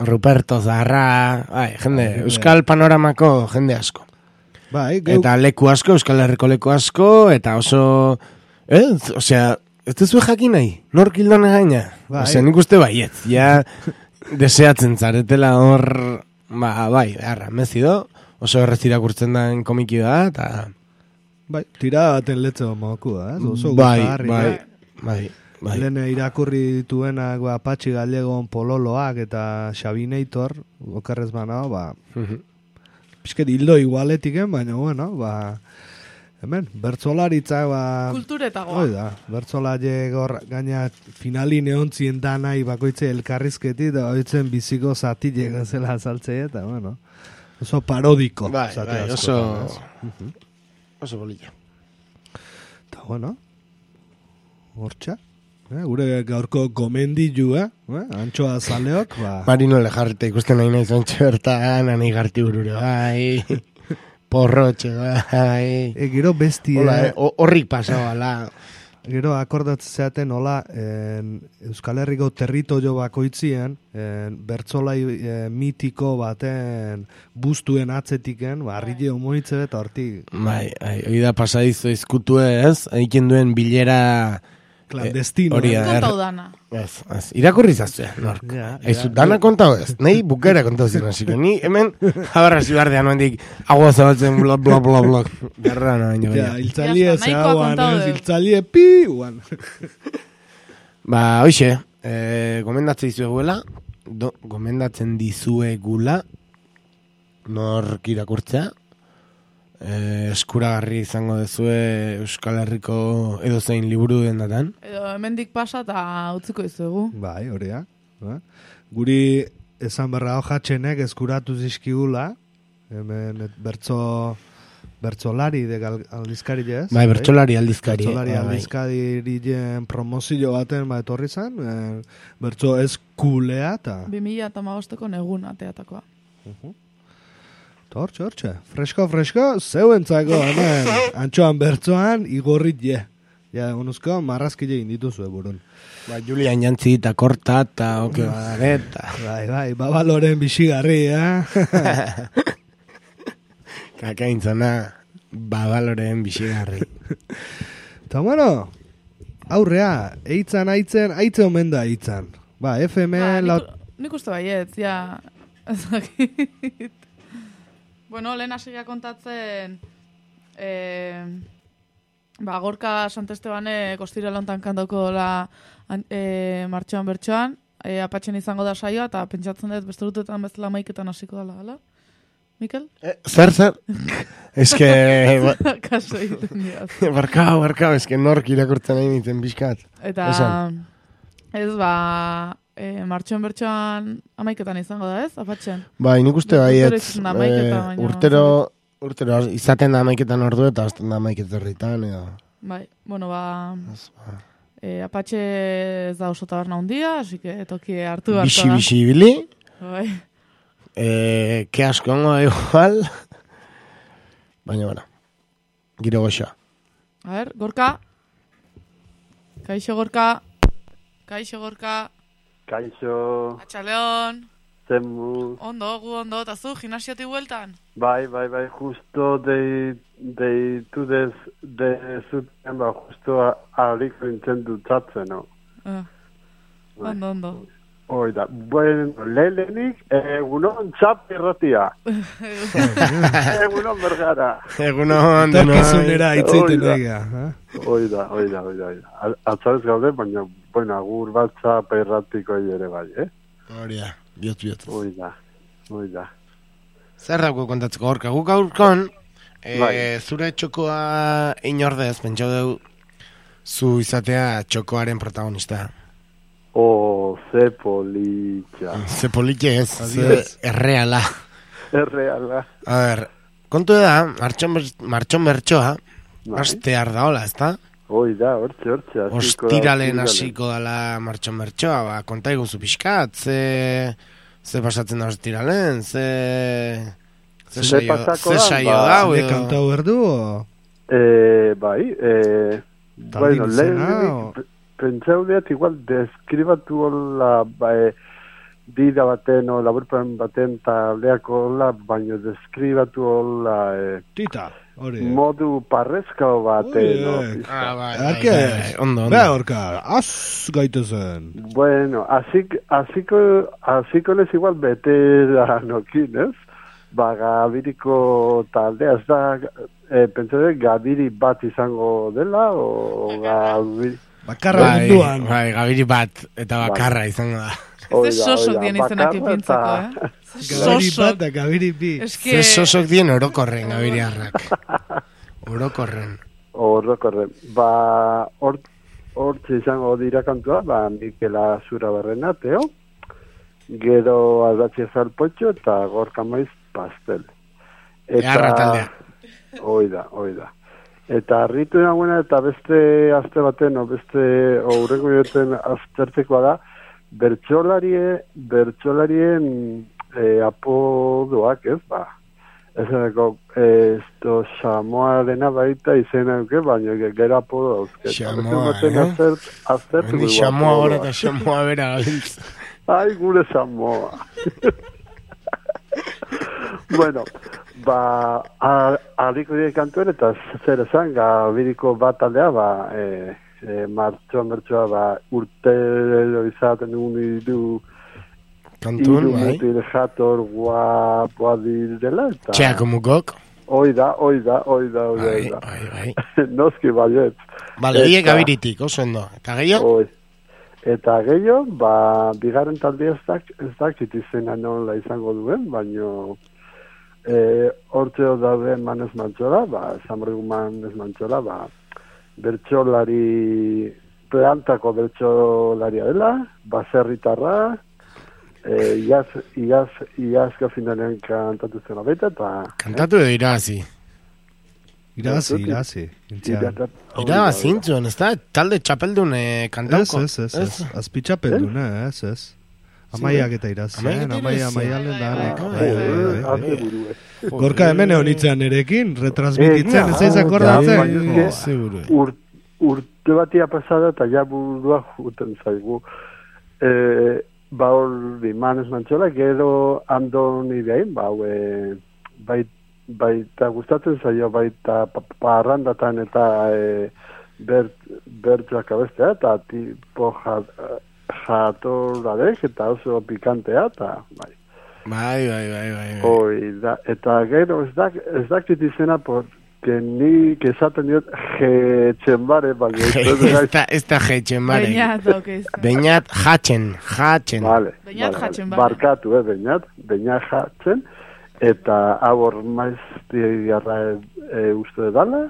Ruperto Zarra, bai, jende, Euskal Panoramako jende asko. Bai, eta leku asko, Euskal Herriko leku asko, eta oso... osea, ez duzu jakin nahi, nork hildone gaina? Osea, nik uste baiet, ja, deseatzen zaretela hor, bai, mezido, oso errez irakurtzen den komiki da, eta... Bai, tira baten letze moku da, oso bai. Lehen irakurri dituenak, Patxi Gallegon Pololoak eta Xabinator, okerrez banao, pixket hildo igualetiken, baina, bueno, hemen, bertzolaritza, kulturetagoa. Oida, bertzolare gaina finalin eontzien danai bakoitze elkarrizketi, da oitzen biziko zatile gazela azaltzea, eta, bueno, oso parodiko. Bai, oso bolilla. Eta, bueno, hortxa. Gure gaurko gomendilu, Antxoa Zaleok, Marino Lejarrete ikusten nahi nahi zontxe bertan, anai garti burure, bai, porrotxe, bai. Gero besti, horrik pasabala. Gero akordatzen zeaten, hola, Euskal Herriko territorio bakoitzien, bertzolai mitiko baten bustuen atzetiken, arrile homoitze eta hortik. Bai, hori da pasadizo izkutu ez, egiten duen bilera... Clandestino. Kontau dana. Irakurri zaztea, nork. Dana kontau ez. Nahi bukera kontau ziren. Ni hemen jabarra zibardean noendik agua zabaltzen blok, blok, blok, blok. Garra no, baino. Iltzalie zeaguan, iltzalie pi, guan. Hoxe, gomendatzen dizueguela, gomendatzen dizuegula, nork irakurtzea, eskuragarri izango dezue Euskal Herriko edozein liburu den datan. Edo hemendik pasa eta utziko dizuegu. Bai, hori da. Guri esan berra hojatxenek eskuratu zizkigula, hemen bertzolari de aldizkari ez? Bai, bertzolari aldizkari. Bertzolari aldizkarien promozio baten etorri zen, bertzo eskulea eta... 2015ko negun ateatakoa. Hortxe, fresko, zeuentzako, hemen, Antxoan bertzoan, igorrit je. Ja, onuzko, marrazkile egin dituzue burun. Ba, Julian jantzi eta korta eta oke badareta. Bai, babaloren bisigarri, Kakaintzana, babaloren bisigarri. Eta bueno, aurrea, eitzan, aitze omen da eitzan. Ba, FM... Nik uste baietz, ja... Ezakit. Bueno, lehen hasiga kontatzen... Gorka Santestebane kostira lontan kantauko la martxoan bertxoan, apatxen izango da saioa, eta pentsatzen dut beste dutetan bezala maiketan hasiko dela, hala? Mikel? Zer? Eske... Kaso egiten diaz. Barkao, eske nork irakurtzen nahi nintzen bizkat. Eta... Ez martxoan bertxoan amaiketan izango da, ez? Apatxen. Bai, nik uste baietz. Urtero izaten da amaiketan ordu eta azten da amaiketan herritan, edo. Bai, bueno, apatxe ez da oso taberna hundia, así que toki hartu hartu da. Bixi bili. Bai. Ke asko ongo igual. Baina, bueno, giro goxa. A ver, Gorka. Kaixo, Gorka. Atxaleon. Zemu. Ondo, eta zu, gimnasioti bueltan? Bai, justo deitu dezuten, justo alik rintzen dutzatzen, no? Ondo. Oida, bueno, lehenik, egunon txap irratia. Egunon bergara. Egunon denoi. Torkizunera itzeiten ega. Oida. Atzarez gaude, baina, bueno, agur bat txap irratiko ere bai, Horia, bihotz. Oida. Zer dago kontatzeko Gorka? Guk aurkon, zure txokoa inordez, pentsau dugu, zu izatea txokoaren protagonista. Ze politxa. Ze politxe ez, ze erreala. A ber, kontu da, martxon bertxoa, astear da hola, ezta? Oida, hortxe. Ostiralen hasiko dala martxon bertxoa, konta iguzu pixkat, ze pasatzen da ostiralen, ze saio dau, edo? Kantau berdu, bai, bueno, lehenik, pentsau deat, igual, deskribatu hola, dira baten, o laburpen baten, eta leako hola, baina deskribatu hola, Tita. Modu parrezkao baten. Ondo. Beha horka, az gaitezen. Bueno, aziko lez igual veteranokin, ez? Gabiriko taldea, ez da, pentsade, gabiri bat izango dela, o gabiri... Bakarra munduan. Bai, gabiri bat, eta bakarra izango da. Ez sosok dien izenak ipintzeko, Gabiri bat da, gabiri bi. Ze sosok dien orokorren, gabiri harrak. Orokorren. Hortze izango dira kantua, Mikela Zura Barrena, Teo, gero Aldatxe Zalpotxo, eta Gorka Maiz Pastel. Earra taldea. Oida. Eta harritu nagoena, eta beste azte baten, beste aurreko joten aztertzekoa da, bertsolarien apodoak, ez, ez esto Samoarena baita izena duke, baina gero apodo dauzke. Samoa, Aztertu Samoa hori eta Samoa bera gabiltz. Ai, gure Samoa. Bueno, harriko dire kantuen, eta zer esan, gabiriko bat aldea, martxoan bertsoa, urtero izaten du kantun, bai? Mutil jator guapoa direla, eta... Txeako mukok? Oida. Bai. Noski baiet. Bale, horiek gabiritik, oso ondo. Eta gehiago? Eta gehiago, bigarren talde ez dakit izena nola izango duen, baino hortzeo daude manez mantxola, esamoregu manez mantxola, bertsolari, plantako bertsolaria dela, baserritarra, iazka finalean kantatu zena baita, eta... Kantatu edo irazi? Irazi. Irazi intzuen, ez da? Talde txapeldun kantauko? Ez. Azpi txapeldun, ez. Amaiak eta irazi, amaialen da anek. Gorka hemen egonitzean erekin, retransmititzen, ez eiz akordatzen. urte batia pasada eta ja burua juten zaigu. Ba hori manez mantxola, gero Andoni behin, baita gustatzen zaio, baita parrandatan eta bertxoak abestea, eta tipo jatorradek, eta oso pikantea, eta bai. Bai. Da, eta gero ez dakit izena, porque nik esaten diot jetxenbare, ez da jetxenbare. Beñat jatzen. Vale, barkatu, beñat jatzen, eta hor maiztiarra uste dala,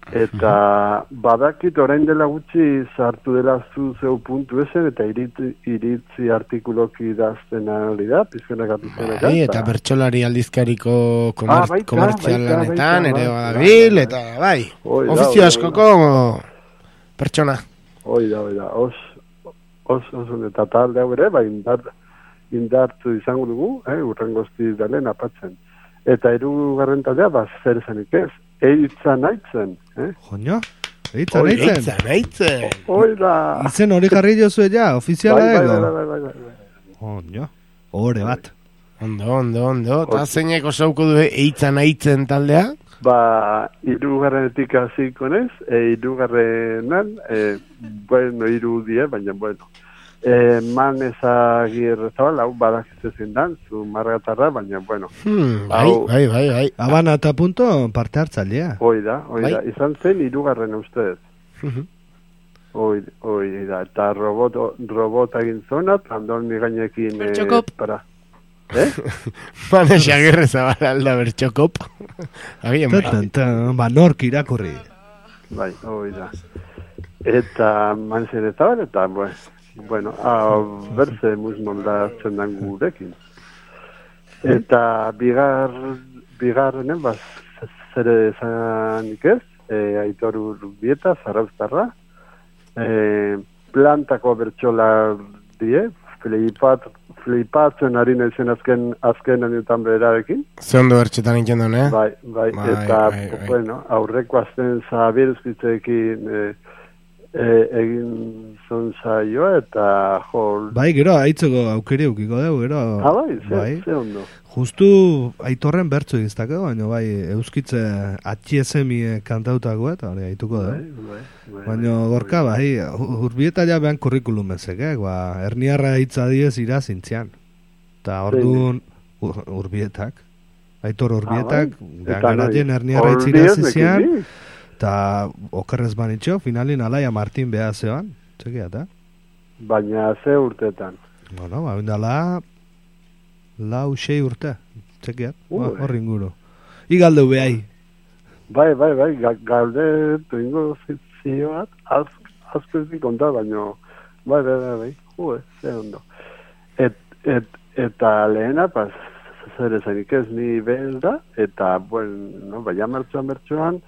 eta badakit orain dela gutxi sartu dela zeu puntu esen, eta iritzi artikuloki idazten hori da, pizkenaka. Eta bertsolari aldizkariko komertzialanetan, ere badabil, eta bai, ofizio askoko pertsona. Hoi da, oso eta talde hau ere, indartu izango dugu, urrengozti dalen apatzen. Eta hirugarren taldea, zer esanik ez, eitzan aitzen. Joño, eitzan aitzen. Oida. Izen hori jarri jozue ja, ofiziala ego. Bai. Joño, hore bat. Ondo. Eta zeineko sauko du eitzan aitzen taldea? Hirugarrenetik hasiko nez, hirugarrenan, hiru die, baina bueno. Man ezagir zabal, hau badakizezen dan, zu margatarra, baina bueno. Bai. Habana eta punto parte hartzalea. Oida, izan zen hirugarren ustez. Oida, eta robota egin zona, Andoni gainekin Bertxokop. Man ezagir zabal alda bertxokop. Nork irakurri. Bai, oida. Eta man zen zabal, eta bueno, berze musmoldatzen dan gurekin. Eta bigarrenen, zer esanik ez, Aitor Urbieta, Zarauztarra, plantako bertxolar die, flipatzen ari naizen azken anetan berarekin. Zondo bertxetan iken duen, Bai, eta, bueno, aurreko azten zabiruzkitzekin egin zonzaioa eta jol... Bai, gero, aitzeko aukeri eukiko dugu, gero... Ze ondo. Justu aitorren bertzo egiztako, baina bai, euskitze atxiezemi kantautako eta hori aituko dugu. Baina gorka, bai, Urbieta ja behan kurrikulum ezek, Erniarra hitza diez irazintzian. Eta orduan Urbietak, Aitor Urbietak, garatien Erniarra hitz irazizian, eta okerrez banitxo, finalin Alaia Martin beha zeoan, txekia, eta? Baina ze urtetan? Bueno, bindala 6 urte, txekia, horri inguru. Igaldu behai. Bai, galde ingo zioat, azkezdik onda, baina, bai, ze ondo. Eta lehena, zer ezanik ez ni behel da, eta, bueno, baina mertxoan,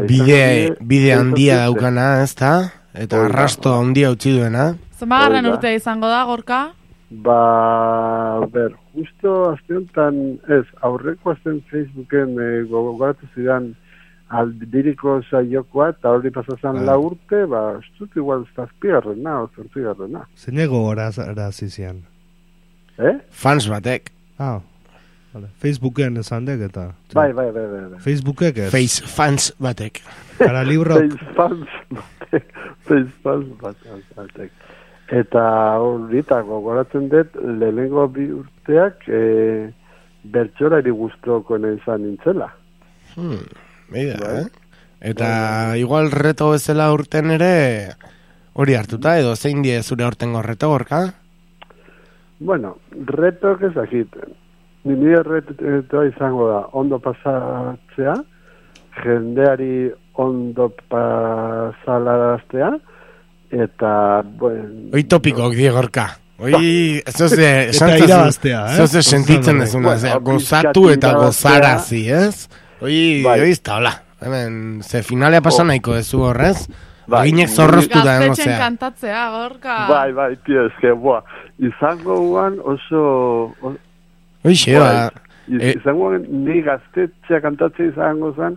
bide handia daukana, ez da? Eta arrasto handia utzi duena. Zemagarren urtea izango da, Gorka? Justo azteontan, aurreko azten Facebooken gogoratu zidan aldiriko saiokoa, eta hori pasazan 4 urte, ez dut igual zazpigarrena, zortzigarrena. Zeinego horazizian? Fans batek. Facebooken esan dek eta... Bai. Facebookek ez? Fans batek. Para libro... Fans batek. Eta horritako goratzen dut, lehenengo 2 urteak bertxolari guztoko izan nintzela. Eta igual reto bezala urten ere hori hartuta, edo zein die zure urtengo reto, Gorka? Bueno, reto ezakiten. Nire retoa izango da, ondo pasatzea, jendeari ondo pasalaraztea, eta, bueno... Hoi topikok, Gorka. Hoi, eta irabaztea, zoze sentitzen ezuna, gozatu eta gozarazi, ez? Hoi, ez da, hola. Hemen, ze finalea pasa nahiko ezu horrez, eginek zorroztu da, gaztetxen kantatzea, Gorka. Bai, tio, eske, izango guan oso... Oixe, izango ni gaztetxea kantatzea izango zen,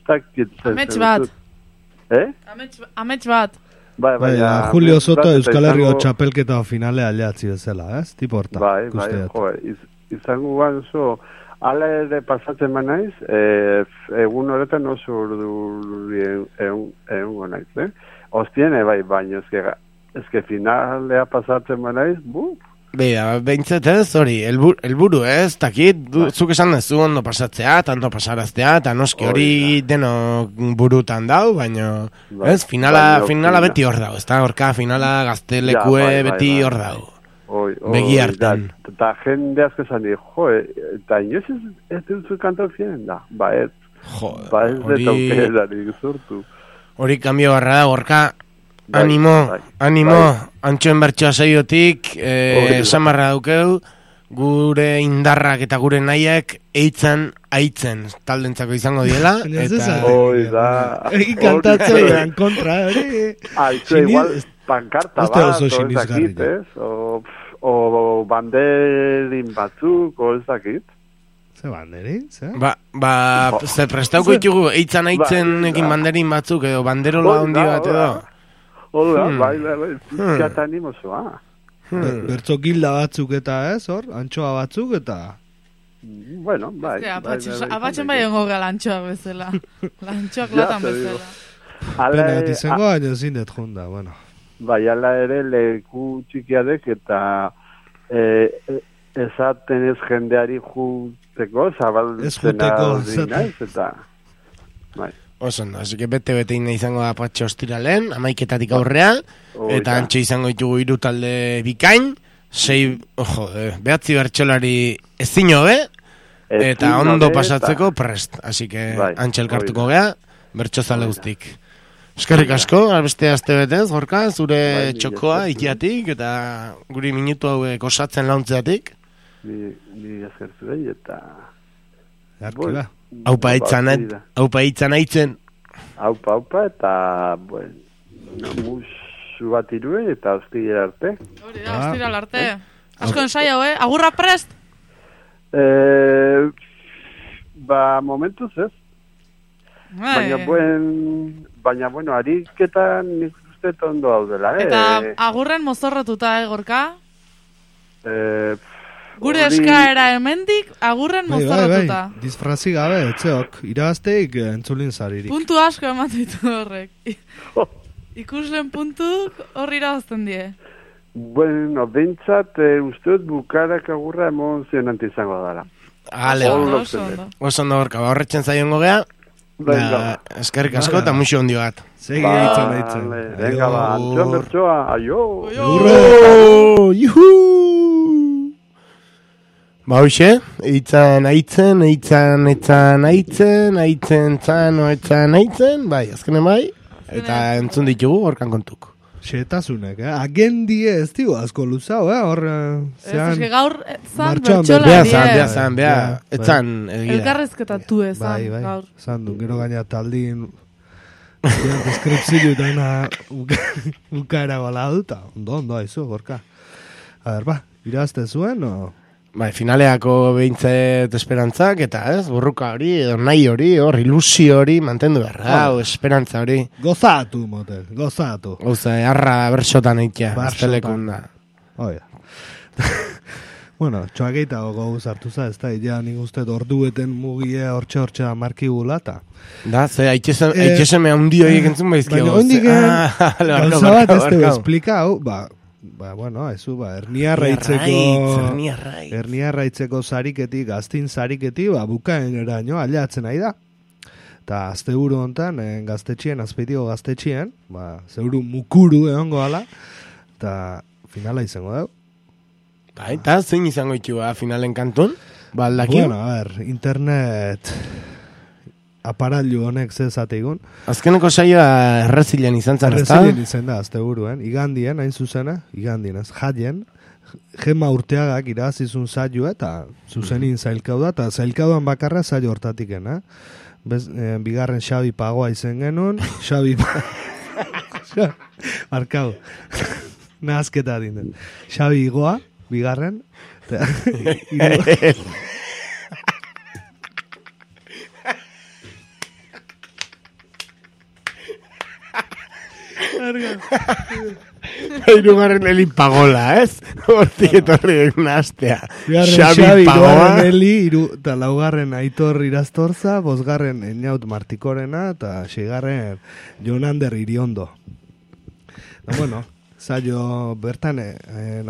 Amets bat. Amets bat. Bai, Julio Soto Euskal Herriko txapelketa finale aliatzi bezala, ez? Tipo horta. Bai, izango oso, ala ere pasatzen naiz, egun horretan oso urdurien egungo naiz, Ostiene, bai, baina ezke finalea pasatzen naiz, Bea, behintzat ez, hori, elburu ez, takit, zuk esan dezu ondo pasatzea, tanto pasaraztea, eta noski hori deno burutan dau, baina, ez, finala beti hor dau, ez da, horka finala gaztelekue beti hor dau. Begi hartan. Eta jende asko esan di, eta inoz ez duzu kantor fienen da, ba ez detaukerari zurtu. Hori kambio barra da, horka, animo, antxoen bertsoa saiotik, samarra daukeu, gure indarrak eta gure nahiak eitzan aitzen taldentzako izango diela. Egin kantatzen kontra, hori. Igual, pankarta bat, o banderin batzuk, o ezakit. Ze banderin, ze? Ze prestauko ditugu, eitzan aitzen ekin banderin batzuk, edo banderola handi bat edo. Hola, bai, pizkata animosoa. Bertzo gilda batzuk eta ez, hor, antxoa batzuk eta... Bueno, bai. Abatxen bai ongo gara lantxoa bezala. Lantxoak latan bezala. Pena bat izango, baina zindet jonda, bueno. Bai, ala ere leku txikiadek eta esaten ez jendeari juteko, zabaltzena dinaiz, eta... Bai. Osondo, así que bete izango da patxe ostiralen, 11:00 aurrea, eta antxe izango ditugu 3 talde bikain, 9 bertsolari ezin hobe, eta ondo pasatzeko prest. Así que antxe elkartuko gea, bertsozale guztik. Eskerrik asko, albeste aste betez, Gorka, zure txokoa ikiatik, eta guri minutu hauek osatzen launtzeatik. Ni eskertu behi, eta... Arkiba. Aupa itzan aitzen. Aupa, eta, bueno, musu bat irue, eta hostira arte. Hori da, hostira arte. Asko ensaio, agurra prest? Momentuz ez. Baina, bueno, ariketan nik uste ondo daudela, Eta agurren mozorrotuta, Gorka? Gure eskaera hemendik agurren mozorrotuta. Disfrazi gabe, etxeok, irabazteik entzulin zaririk. Puntu asko ematitu horrek. Ikuslen puntuk horri irabazten die. Bueno, bentsat usteot bukarak agurra emozionante izango dara. Oso ondo Gorka, horretzen zaion gogea. Eskerrik asko eta muxo ondio bat. Segi eitzen. Venga, antxoan bertsoa, aio! Juhu! Hoxe, eitzan aitzen, bai, azkenen bai, eta entzun ditugu horkan kontuk. Xetasunek, agendie ez digu asko luzau, hor... Ez gaur zan bertxola zan, etzan egia. Elkarrezketatu ezan, gaur. Zan du, gero gaina taldin... Deskripzio eta ukaera gola duta. Ondo, haizu, Gorka. A ber, irazte zuen, o... Bai, finaleako behintzet esperantzak, eta ez, burruka hori, edo nahi hori, hor, ilusio hori, mantendu berra, esperantza hori. Gozatu, motel, gozatu. Gauza, harra berxotan eitea, aztelekun da. Oia. Bueno, txoakeita gogoz hartu za, ez da, ja nik uste ordueten mugie hortxe markigula, eta... Da, ze, haitxeseme handi horiek entzun baizkio. Baina hondik gauza bat ez te esplikau, bueno, ezu, hernia raitzeko sariketik, gaztin sariketik, bukaen eraino, aliatzen nahi da. Eta azte buru hontan, azpeitiko gaztetxien, zeuru mukuru egongo ala, eta finala izango dugu. Eta zein izango ditu finalen kantun? Baldakio? Bueno, internet... aparailu honek zezategun. Azkeneko saioa errezilen izan zan, ez da? Errezilen izan da, azte buruen. Igandien, hain zuzena, ez, jaien, Gema Urteagak irabazizun saioa, eta zuzenin zailkau da, eta zailkauan bakarra saio hortatik, bigarren Xabi Pagoa izen genuen, Xabi Markau, nahazketa dinden. Xabi Igoa, bigarren, Hirugarren Eli Pagola, ez? Hortik etorri den astea. Xabi Pagola. Eli, eta laugarren Aitor Iraztorza, bosgarren Einaut Martikorena, eta seigarren Jonander Iriondo. Da, bueno, zailo bertan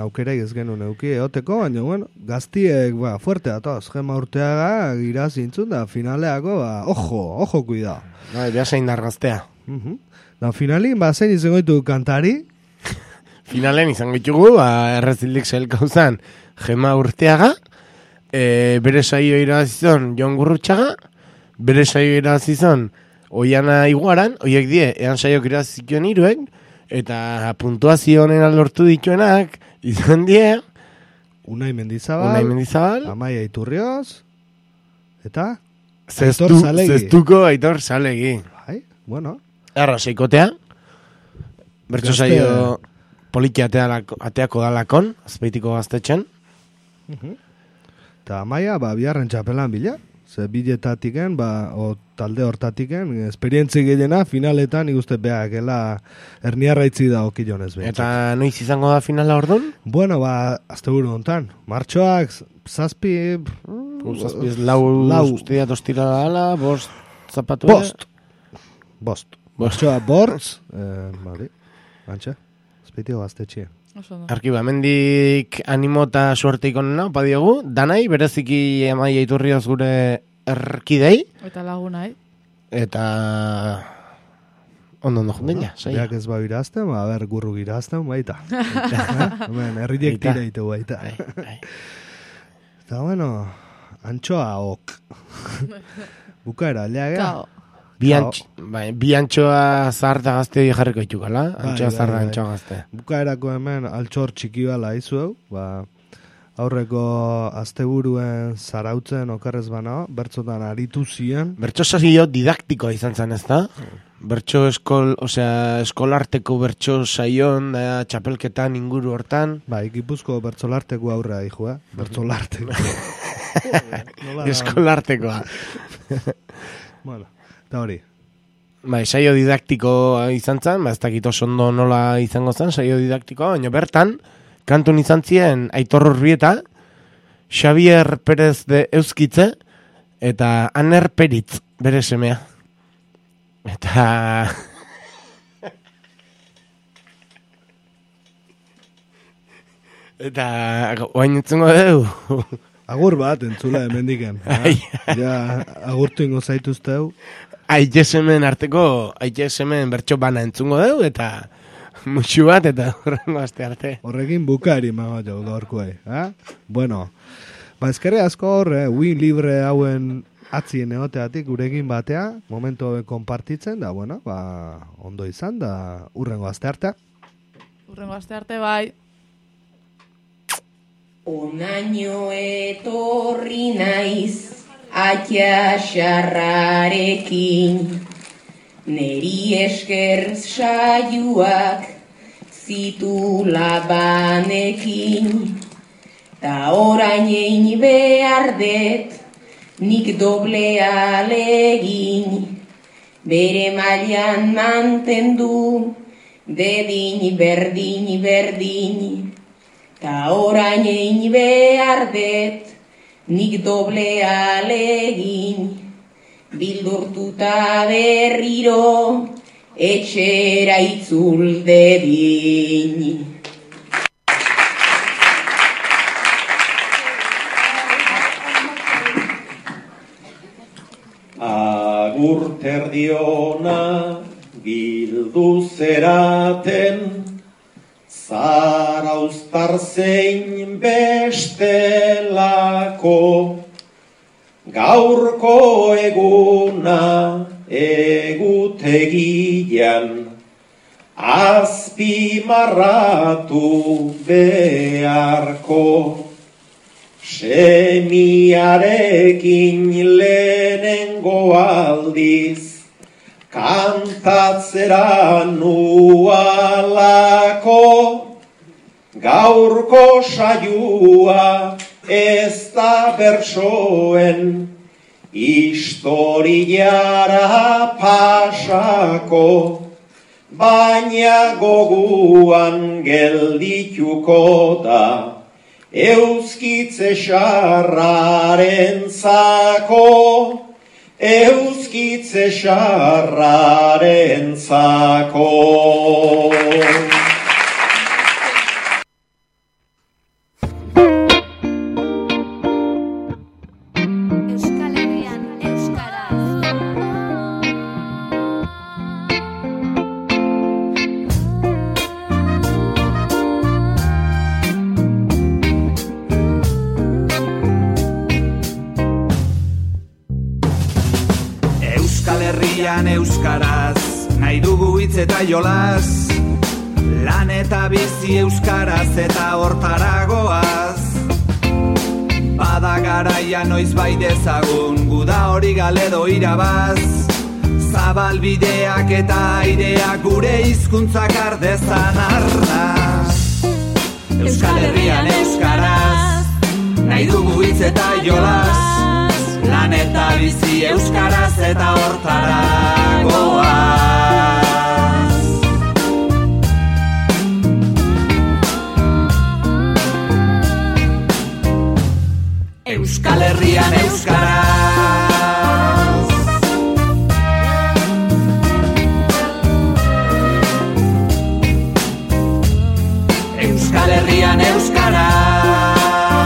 aukera ez genuen euki eoteko, baina, bueno, gaztiek, fuerte datoz, Gema Urteaga, gira zintzun, da finaleako, ojo, cuidado. Ja zein dargaztea. Da, finalin, zein izango ditu kantari? Finalen izango ditugu, errezildik zelkauzan Gema Urteaga, bere saio irabazizon Jon Gurrutxaga, bere saio irabazizon Oiana Iguaran, oiek die, ean saiok irabazizkion iruek, eta puntuazio honena lortu dituenak, izan die... Unai Mendizabal, Amaia Iturrioz, eta... Zestuko Aitor Zalegi. Bai, bueno. Erra, seikotea. Bertso saio poliki ateako dalakon, azpeitiko gaztetxen. Eta Amaia, biharren txapelan bila. Ze biletatiken, talde hortatiken, esperientzi gehiena, finaletan ikuste beakela erniarraitzi da okilonez behar. Eta noiz izango da finala orduan? Bueno, azte buru hontan. Martxoak, zazpi... Zazpi ez lau usteia tostira ala, bost zapatu... Bost. Martxoa bortz, antxe, azpeitiko gaztetxia. Arkiba, mendik animo eta suerte ikonena, opa diogu, danai, bereziki Amaia Iturrioz gure erkidei. Eta lagunai. Eta... Ondo jundin, ja. Beak ez irazten, gurru irazten, baita. Herriek tira ditu baita. Eta bueno, antxoa ok. Bukaera, leagea. Bi antxoa zaharta gazte jarriko itukala. Antxoa zaharta antxoa gazte. Bukaerako hemen altxor txiki bala izueu. Aurreko asteburuen zarautzen okerrez bana, bertzotan aritu ziren. Bertso saio didaktikoa izan zen, ez da? Bertso eskolarteko bertso saion, txapelketan inguru hortan. Gipuzko bertsolarteko aurrea dijo, bertsolarteko. Eskolartekoa. Bueno. Eta hori. Saio didaktiko izan zen, ez dakit oso ondo nola izango zen, saio didaktikoa, baina bertan, kantun izan ziren Aitor Urbieta, Xavier Perez de Euskitze, eta Aner Peritz, bere semea. Eta... Eta... Oain entzungo dugu. Agur bat, entzula hemendiken. Agurtu ingo zaituzteu. Aitesemen arteko, aitesemen bertso bana entzungo dugu, eta musu bat, eta horrengo aste arte. Horrekin bukari mago jau gaurkoei. Bueno, ezkerre asko hor, win libre hauen atzien egoteatik gurekin batea, momentu konpartitzen, da, bueno, ondo izan, da, urrengo aste arte. Urrengo aste arte, bai. Onaino etorri naiz, atia xarrarekin, neri esker saioak zitu labanekin, ta orain egin behar det, nik doble alegin, bere mailan mantendu, dedin berdin, ta orain egin behar det, nik doble alegin, bildurtuta berriro, etxera itzul dedin. Agur terdiona bildu zeraten, Zarauztar zein bestelako, gaurko eguna egutegian, azpimarratu beharko. Semiarekin lehenengo aldiz, kantatzera nualako, gaurko saioa ez da bertsoen, historiara pasako, baina goguan geldituko da, euskitze xarraren zako, euskitze xarraren zako. Euskaraz, nahi dugu hitz eta jolas, lan eta bizi euskaraz eta hortaragoaz. Bada garaia noiz bai dezagun, guda hori galedo irabaz, zabalbideak eta aireak gure hizkuntzak ardezan arnaz. Euskal Herrian euskaraz, nahi dugu hitz eta jolas, lan eta bizi euskaraz eta hortaragoaz. Euskal Herrian euskaraz,